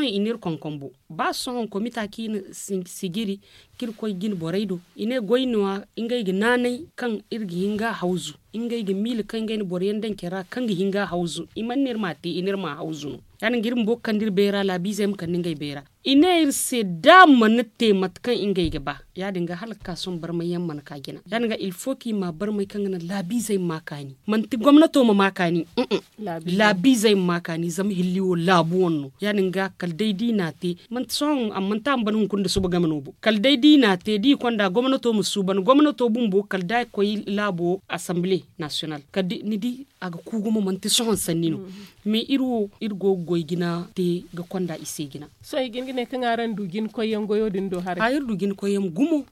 i na iri konkombo ba sohõ komita kaŋ i na sijiri kaŋ iri koy jine borey do i ne goy no- ya ngey ga naanay kaŋ iri ga hin ga a hawzu. Ngey ga miila kaŋ ngey na boro yaŋ daŋ care ra kaŋ ga hin ga a hawzu i mana ne iri m'a te i ne iri m'a hawzu no. Ya- din ga iri bumbo ga kande iri bayra laabiizey ma kande ngey bayra i ne iri se da a mana te mate kaŋ ngey ga ba. Ya- din ga hala ga ka sohõ barmayyaŋ mana ka jina ya- din ga ilfo kaŋ i ma barmay kaŋ ga naŋ laabiizey ma ma kaani manti gomnato ma ma kaani. Laabiizey ma ma kaani zama hilli wo laabu wane no ya- din ga kala day da i n'a te manti sohõ a mana te a ma ban hunkuna nda suba game no bo kala day da i n'a te da i konda gomnato ma suuban gomnato bumbo kala da a ga koy laabo asanbile nasiyonal kala da ni di a ga ku gumo manti sohõ sanni no. Mais iri wo iri go ga goy jina te ga konda i se jina. Sohõ i ga hin ga ne kaŋ araŋ du jina koyyaŋ goyo din do haray? Iri du jina koyyaŋ gumo.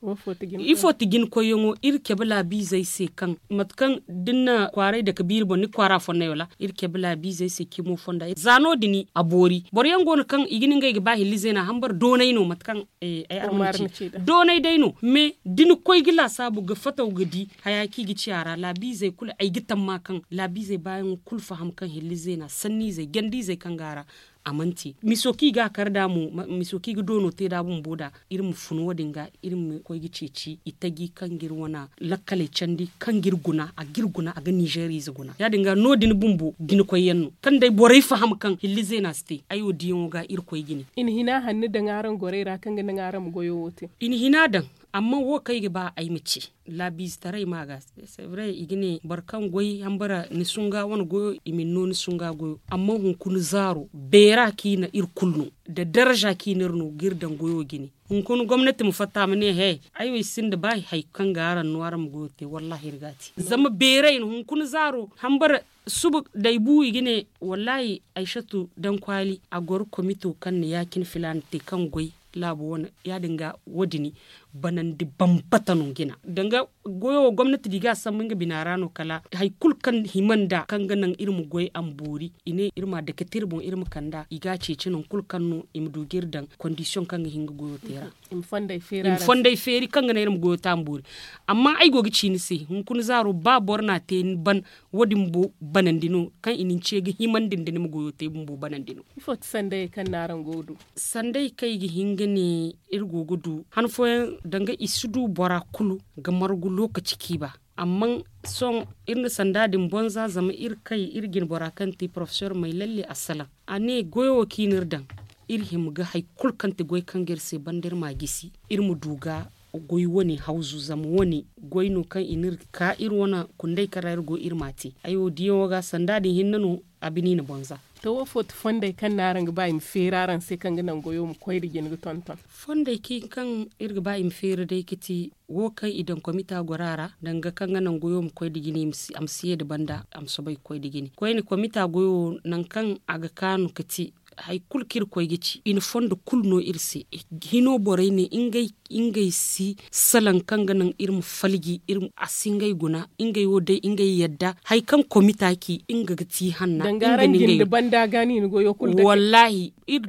Ifo ti jina koyyaŋo iri cabe laabiizey se kaŋ mate kaŋ da ni na kwaaray dake biiri boŋ ni ga kwaara fonnay wala iri cabe laabiizey se cimo fonda za no- din a boori boro yaŋ go no kaŋ i ga ne ngey ga ba hilli zeena hambar doonay no mate kaŋ ay arma ni ci doonay day no mais da ni koy ga laasaabu ga fataw ga di haya kaŋ i ga ci a ra laabiizey kulu ay ga tamma kaŋ laabiizey baayaŋo kulu faham kaŋ hilli zeena sanniizey jandiizey kaŋ go a ra. A mana te miso kaŋ i ga a kar nd'a mo miso kaŋ i ga doono te nd'a bumbo nd'a iri ma fun wo- din ga iri ma koy ga ceeci itaji kaŋ ga iri wane lakkaley candi kaŋ ga iri guna a ga iri guna a ga ninzeeriize guna ya- din ga no- din bumbo jina koyyaŋ no kaŋ day borey faham kaŋ hilli zeena si te ay wo diyaŋo ga iri koy jine. I na hina hanno daŋ araŋ gorey ra kaŋ ga naŋ araŋ ma goyo wo te? I na hina daŋ. Amma wo kaŋ ay ga ba ay ma ci laabiizetaray ma ga. C'est vrai i ga ne boro kaŋ goy hambara ni sunga wane goyo i ma ni no ni sunga goyo amma hunkuna zaaro beera kaŋ i na iri kulu no nda darza kaŋ i na iri no ga iri daŋ goyo jine. Hunkuna gomnati ma fatta ma ne he ay wo ay sinda ba hari kaŋ ga araŋ no araŋ ma goyo te wallaahi iri ga a te zama beeray no hunkuna zaaro hambara suba da ay bu i ga ne wallaahi aysatu dankwaali a goro komito kaŋ na ya-cine filaana te kaŋ goy laabo wane ya- din ga wo- din banandi bambata no jina danga goyo wo gomnati da i ga a sambu nga bina ra no kala hari kulu kaŋ hima nd'a kaŋ ga naŋ iri ma goy a ma boori i ne iri ma a dake te iri boŋ iri ma kand'a i ga a ceeci nangu kulu kaŋ no i ma du ga iri daŋ kondisiyoŋ kaŋ ga hin ga goyo te ra. I ma fondey feeri kaŋ ga naŋ iri ma goyo te a ma boori. Amma ay go ga ci ni se hunkuna zaaro ba boro n'a te ni ban wo- din bumbo banandi no kaŋ i na ni ce ga himandi nda ni ma goyo te bumbo banandi no. Ifo ti sandayey kaŋ no araŋ go ga du? Sandayey kaŋ i ga hin ga ne iri go ga du han fooyaŋ danga i si du bora kulu ga margu lookaci kaŋ i ba. Amma sohõ iri na sanda din bonza zama iri kay iri jine bora kaŋ ti porofesor may lalle a salaŋ. A ne goyo wo kaŋ i na iri daŋ, iri hima ga hari kulu kaŋ ti goy kaŋ ga iri se banda iri m'a gisi, iri ma du ga goy wane hawzu zama wane goy no kaŋ i na iri ka iri wane kunday kaŋ ra iri go iri m'a te. Ay wo diyaŋo ga sanda din hinne no. A bini i na bonza. To wo fo ti fondey kaŋ no araŋ ga ba i ma feeri araŋ se kaŋ ga naŋ goyo ma koy nda jina ga tonton? Fondey kaŋ iri ga ba i ma feeri day ga ti wo kaŋ i daŋ komita goro a ra danga kaŋ ga naŋ goyo ma koy nda jina a ma si ye nda banda a ma soobay ga koy nda jina koyne komita goyo nangu kaŋ a ga kaanu ga ti hari kulu kaŋ iri koy ga ci i na fondo kulu no iri se. Hino borey ne ngey si salaŋ kaŋ ga naŋ iri ma falji a si ngey guna ngey wo day ngey yadda hari kaŋ komita ci nga ga ti hanna. Wallaahi iri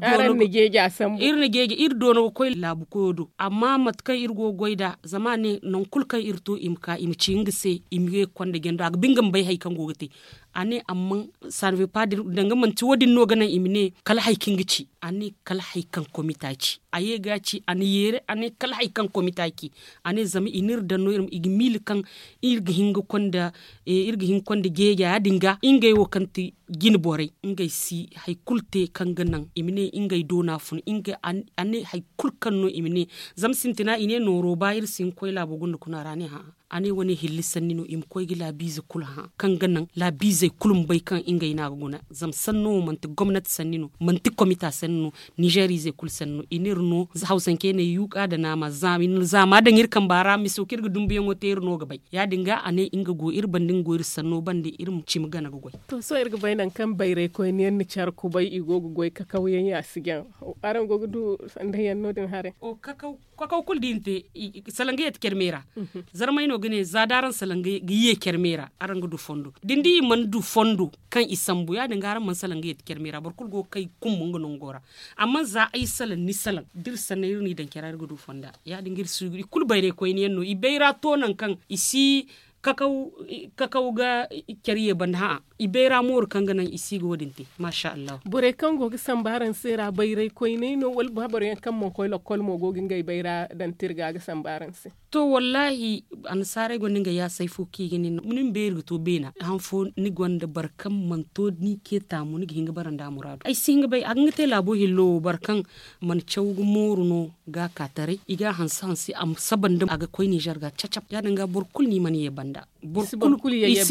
doono ga koy laabu koyo do amma mate kaŋ iri go ga goy nd'a zama a ne nangu kulu kaŋ iri to i ma ka i ma ci nga se i ma ye ga konda jando a ga ba nga ma bay hari kaŋ go ga te. A ne amma sanvepa danga manti wo- din no ga naŋ i ma ne kala hari kaŋ ga ci a ne kala hari kaŋ komita ci a ye ga a ci a na yeere a ne kala hari kaŋ komita ci. A ne zama i na iri daŋ no i ga miila kaŋ iri ga hin ga konda jeeja ya- din ga ngey wo kaŋ ti jine borey ngey si hari kulu te kaŋ ga naŋ i ma ne ngey doona fun. A ne hari kulu kaŋ no i ma ne zama sintina i ne nooro ba iri si hin ga koy laabo gunda kuna ra a ne hã'a. A ne wane hilli sanni no i ma koy ga laabiize kulu hã kaŋ ga naŋ laabiizey kulu ma bay kaŋ ngey no a ga guna. Zama sanno wo manti gomnati sanni no manti komita sanni no. Nizeer izey kulu sanni no i na iri no hawsancey ne yuuka nda naama zaama daŋ iri kamba ra miso kaŋ iri ga dumbuyaŋo te iri no ga bay. Ya- din ga a ne nga go iri banda nga go iri sanno banda iri ma cimi gana ga goy. To sohõ iri ga bay nangu kaŋ bayray koyne yaŋ na care kubay i go ga goy kakawyaŋ ya si jaŋ. Araŋ go ga du sanda yaŋ no- din haray? Kakaw kulu da i na te salaŋ ga yeeti care meera. Zarmay no ga ne za da araŋ salaŋ ga ye care meera araŋ ga du fondo da ni di i mana du fondo kaŋ i sambu ya- din ga araŋ mana salaŋ ga yeeti care meera boro kulu go ga kay kumbu nga nango ra. Amma za ay salaŋ ni salaŋ da iri sanney iri n'i daŋ care ra iri ga du fonda. Ya- din ga iri suugu i kulu bayray koyne yaŋ no i bayra to nangu kaŋ i si kakaw ga care ye banda hã'a. I bayra mooru kaŋ ga naŋ i si ga wo- din te. Maasa allahu. Borey kaŋ go ga sambu araŋ se ra bayray koyney no wala ba boro yaŋ kaŋ mana koy lakkol mo go ga ngey bayra daŋ tirga ga sambu araŋ se? To wallaahi, annasaarey gonda ngey yaasay fo kaŋ i ga ne ni ma beeri ga to beena han fo ni gonda boro kaŋ mana to ni ce taamu ni ga hin ga bara nd'a muraadu ay si hin ga bay a ga nga te laabo hillo wo boro kaŋ mana caw ga mooru no ga a ka taray i ga a hanse hanse a ma saba nda a ga koy ninzeer ga cacab ya- din ga boro kulu no i mana ye banda. I si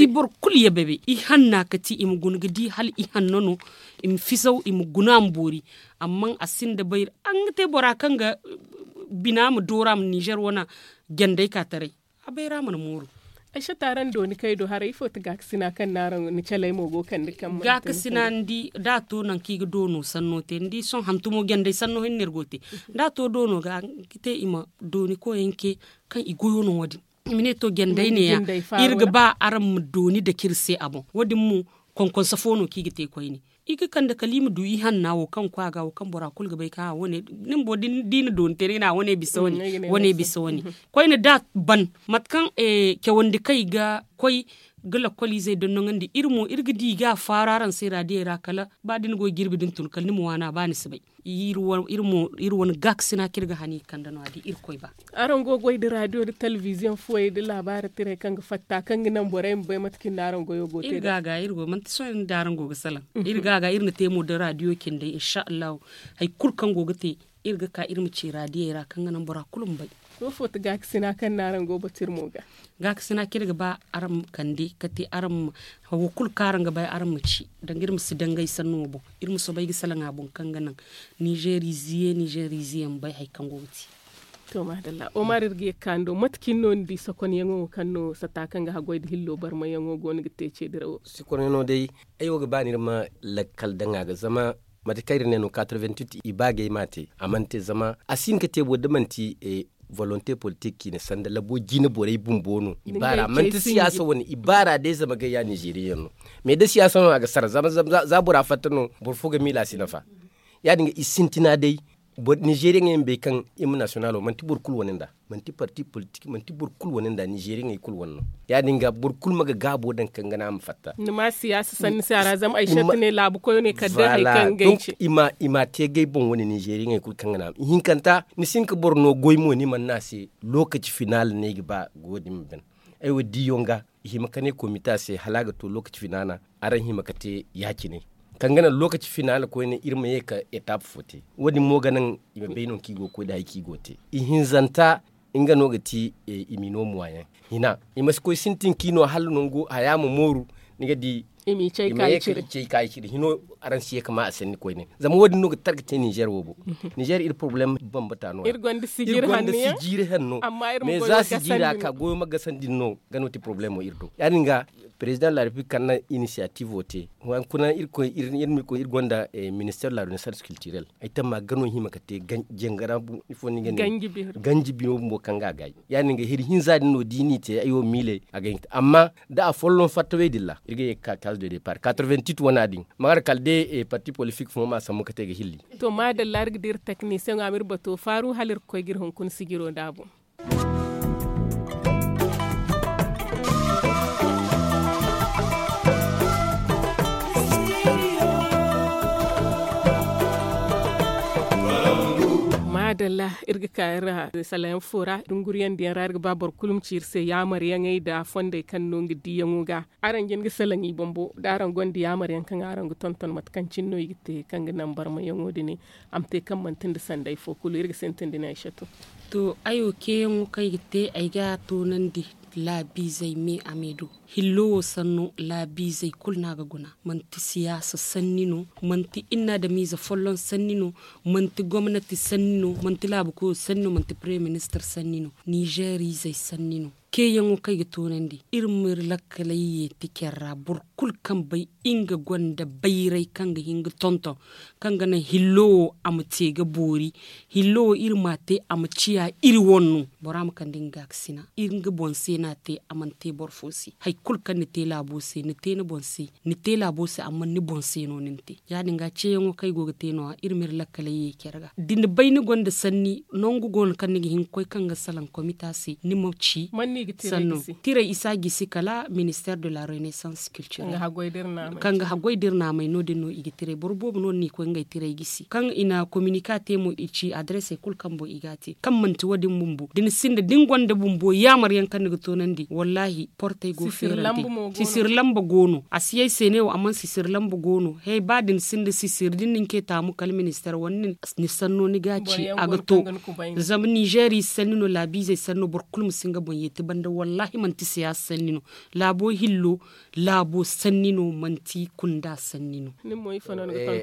boro kulu yabe i hanna ka ti i ma guna ga di hala i hanna no i ma fisaw i ma guna a ma boori. Amma a sinda bayra a ga nga te bora kaŋ ga bina ma dooru a ma ninzeer wane jandey ka taray. A bayra mana mooru. Ay sata araŋ dooni kay do haray ifo ti gaakasina kaŋ no araŋ ni calay mo go kande kaŋ mana te ni fari. Gaakasina ni di da a to nangu kaŋ i ga doono sanno te ni di sohõ hantumo jandey sanno hinne no iri go ga te. Da a to doono ga a ga te i ma dooni koyey ce kaŋ i goyo no wo- din. I ma ne to jandey ne- ya iri ga ba araŋ ma dooni dake iri se a boŋ wo- din mo konkonsa fo no kaŋ i ga te koyne. I ga kande kala i ma du i hanna wo kaŋ ga koy a ga wo kaŋ bora kulu ga bay kaŋ a wane. Ni bumbo da i na dooni te ni ga ne a wane bisa wane. Koyne da a ban mate kaŋ cawandi kaŋ i ga koy ga lakkol izey dondoŋandi iri mo iri ga di i ga a faaru araŋ se raadiyey ra kala ba da ni go ga jirbi da ni tun kala ni ma waana ba ni si bay. Iri wane gaakasina kaŋ iri ga hana i kande no- ya da irkoy ba. Araŋ go ga goy nda raadiyo nda telebiziyoŋ fuwey nda laabaari tirey kaŋ ga fatta kaŋ ga naŋ borey ma bay mate kaŋ iri no araŋ goyo go te iri ga a ga iri go manti sohõ iri nda araŋ go ga salaŋ. Iri ga a ga iri na te mo nda raadiyo cindey insa allahu. Hari kulu kaŋ go ga te iri ga ka iri ma ci raadiyey ra kaŋ ga naŋ bora kulu ma bay. Sohõ fo ti gaakasina kaŋ no araŋ go ga batu iri mo ga? Gaakasina kaŋ iri ga ba araŋ ma kande ka te araŋ ma hawo kulu kaŋ araŋ ga bay araŋ ma ci danga iri ma si dangay sanno boŋ. Iri ma soobay ga salaŋ a boŋ kaŋ ga naŋ ninzeeriize ninzeeriize yaŋ ma bay hari kaŋ go ga te. To maadalla omar iri ga ye ga ka ni do mate cine no ni di sokonyaŋo wo kaŋ no sata kaŋ ga haggoy nda hillo barmayaŋo go no ga te ce dirawo? Sokonyaŋo day ay wo ga ba no iri ma lakkal daŋ a ga zama mate kaŋ iri ne no quatre-vingt-huit i ba ga ay m'a te a mana te zama a si hin ga te bo da manti volonte politik ciine sanda labo jine borey bumbo no i baara manti siyaasa wane i baara day zama gayya ninzeeriyaŋ no. Mais da siyaasa no a ga sara zama za bora fatta no boro fo ga miila a si nafa. Ya- din ga i sintina day ninzeeriyaŋey ma bay kaŋ himne nasiyonalo manti boro kulu wane nda manti parti politik manti boro kulu wane nda ninzeeriyaŋey kulu wane no. Ya- din ga boro kulu ma ga gaabo daŋ kaŋ ga naŋ a ma fatta. Ni ma siyaasa sanni se a ra zama ay sette ne laabu koyo ne kala day hari kaŋ ga ay ce. I ma te ga ay boŋ wane ninzeeriyaŋey kulu kaŋ ga naŋ a ma ihinkanta ni si hin ga boro no goy mo ni mana ne a se lookaci finaal no ay ga ba go- din ma ban. Ay wo diiyaŋ ga i hima ka ne komita se hala a ga to lookaci finaana. Araŋ hima ka te ya- cine kaŋ ga naŋ lookaci finaana koyne iri ma ye ka etape fo te. Wo- din mo ga naŋ i ma bay no kaŋ i go ga koy nda hari kaŋ i go ga te. Ihinzanta nga no ga ti i ma i no muwaayaŋ hina. I ma si koy sintin kaŋ i no hala nangu haya ma mooru. Ni ga di i ma i cay ka i cire hino. Araŋ si ye ka ma a sanni koyne zama wo- din no ga targa te ninzeer wo boŋ. Ninzeer iri porobalem bambata no- ya iri gonda sijiiri hanno. Amma iri ma za sijiira ka goyo ma gasandi no ga no ti porobalemo iri do ya- din ga. Perezidaŋ de la repiblik kaŋ na inisiyatiivo te hunkuna iri ma koy iri gonda ministeer de la renaissance kiltirel. Ay tamma ga no hima ka te jangara ifo no i ga ne ganji biro bumbo kaŋ ga a gaayi. Ya- din ga hiri hinza din no da i n'i te ay wo miiley a ga hin ga te amma da a folloŋ fattawey din ra iri ga ye ga ka kaazu de depaar quatre-vingt-huit wana din. Ma har kala day parti politik fo ma sambu ka te ga hilli. To maadalla iri ga dira teknisiyeŋo a ma iri bato faaru hala iri ga koy ga iri hunkuna sijiro nd'a boŋ. Maadalla iri ga ka iri ra salayaŋ fo ra dunguriyaŋ diyaŋ ra iri ga ba boro kulu ma ci iri se yaamaryaŋey nda fondey kaŋ no nga diiyaŋo ga. Araŋ jin ga salaŋ i bumbo da araŋ gonda yaamaryaŋ kaŋ araŋ ga tonton mate kaŋ cine no i ga te kaŋ ga naŋ barmayaŋo din. A ma te kaŋ manti nda sanday fo kulu iri ga sintin da ne ay satu. To ay wo keeyaŋo kaŋ ay ga te ay ga a toonandi laabiizey me a me do. Hillo wo sanno laabiizey kulu no a ga guna. Manti siyaasa sanni no. Manti inna adamiize folloŋ sanni no. Manti gomnati sanni no. Manti laabu koyo sanni no manti paremiye ministir sanni no. Nizeeriizey sanni no. Keeyaŋo kaŋ ay ga toonandi iri ma iri lakkaley yeeti care ra boro kulu kaŋ bay nga gonda bayray kaŋ ga hin ga tonton kaŋ ga naŋ hillo wo a ma te ga boori. Hillo wo iri m'a te a ma ciya iri wane no. Bora ma kande nga gaakasina iri nga boŋ se no a te a mana te boro fo se. Hari kulu kaŋ ni te laabo se ni te ni boŋ se. Ni te laabo se amma ni boŋ se no ni na te. Ya- din ga ceeyaŋo kaŋ ay go ga te no- ya iri ma iri lakkaley ye care ga da ni bay ni gonda sanni nangu go no kaŋ ni ga hin ga koy kaŋ ga salaŋ komita se ni ma ci. Sanno tiray isa gisi kala ministeer de la renaissance culturel kaŋ ga haggoy da iri naamay no- din no i ga tiray boro boobo no ni na i koy ngey tiray gisi kaŋ i na kominika te mo i ci adarese kulu kaŋ boŋ i ga a te kaŋ manti wo- din bumbo da ni sinda da ni gonda bumbo yaamar yaŋ kaŋ ni ga toonandi wallaahi portey go feerante. Sisir lamba go no a si ye ay se ne wo amma sisir lamba go no he ba da ni sinda sisir da ni na ni ce taamu kala ministeer wane ni sanno ni ga a ci a ga to. Zama nizeeri sanni no laabiizey sanni no boro kulu ma si nga boŋ yeeti banda wallaahi manti siyaasa sanni no. Laabo hillo laabo sanni no manti kunda sanni no.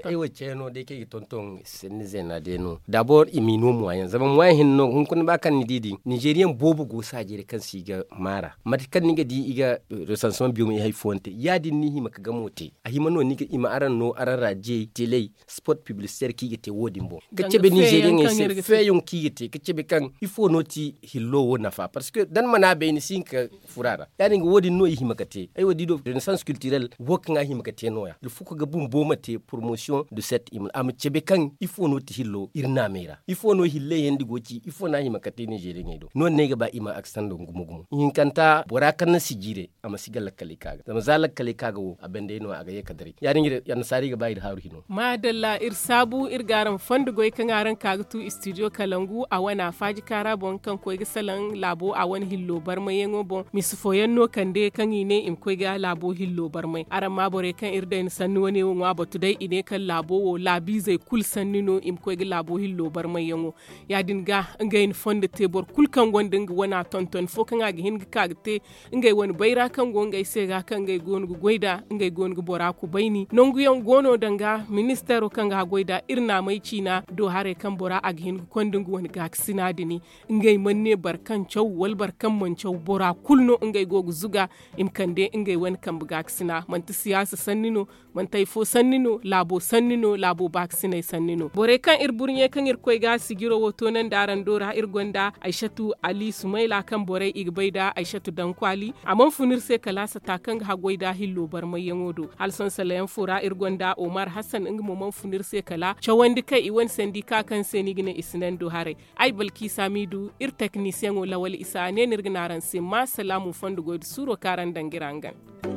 Ay wo ceeno day kaŋ i ga tonton sanni zeena day no dabor i m'i no muwaayaŋ zama muwaayaŋ hinne no hunkuna ba kaŋ ni di din nizeeriyaŋ boobo go saajey ra kaŋ se i ga maara mate kaŋ ni ga di i ga resansimaŋ biyo ma i hari fooyaŋ te ya- din no i hima ga gamo te. A hima no i ma araŋ no araŋ ra jey teley sport piblisiteer kaŋ i ga te wo- din boŋ ga cabe nizeeriyaŋey se feeyaŋo kaŋ i ga te ga cabe kaŋ ifo no ti hillo wo nafa parceque da ni mana bay ni si hin ga furo a ra. Ya- din ga wo- din no i hima ga te ay wo di do renaissance kiltirel wo kaŋ a hima ga te no- ya ilfukka ga bumbo ma te poromosiyoŋ de set i ma a ma cabe kaŋ ifo no ti hillo iri naamey ra ifo no hilley yaŋ da go ci ifo no a hima ga te nizeeriyaŋey do no- din no ay ga ba i ma aksando gumo gumo ihinkanta bora kaŋ na si jiire a ma si ga lakkaley ka ga zama za lakkaley ka ga wo a banda ay no a ga ye ka daray ya- din ga iri annasaarey ga ba iri haaru hino. Maadalla iri saabu iri ga araŋ fondo goy kaŋ araŋ ka ga tu istidiyo kalangu a wane a faaji kaara boŋ kaŋ koy ga salaŋ laabo a wane hillo barmayyaŋo boŋ misi fooyaŋ no kande kaŋ i ne i ma koy ga laabo hillo barmay araŋ ma borey kaŋ iri day ni sanni wane wo ŋwa batu day i ne kaŋ laabo wo laabiizey kulu sanni no i ma koy ga laabo hillo barmayyaŋo. Ya- din ga ngey na fondo te boro kulu kaŋ gonda nga wana tonton fo kaŋ a ga hin ga ka ga te ngey wane bayra kaŋ go ngey se ga kaŋ ngey go no ga goy nd'a ngey go no ga bora kubayni nanguyaŋ go no danga ministeero kaŋ ga haggoy nd'a iri naamey ciina do haray kaŋ bora a ga hin ga konda nga wane gaakasina din. Ngey mana ne boro kaŋ caw wala boro kaŋ mana caw bora kulu no ngey go ga zuga i ma kande ngey wane kambe gaakasina manti siyaasa sanni no manti hari fo sanni no laabo sanni no laabo baakasinay sanni no borey kaŋ iri burɲe kaŋ iri koy ga sijiro wo toonandi araŋ do ra iri gonda aysatu ali sumayla kaŋ borey i ga bay nda aysatu dankwaali a mana fun iri se kala sata kaŋ ga haggoy nda hillo barmayyaŋo do hala sohõ salayaŋ fo ra iri gonda omar hassan nga mo mana fun iri se kala cawandi kaŋ i wane sandi ka kaŋ se no i ga ne i si naŋ do haray. Ay balki samidu iri teknisiyeŋo lawal isa a ne no iri ga ne araŋ se ma salaamu fondo goy nda suuro kaŋ araŋ daŋ ga iri hangan.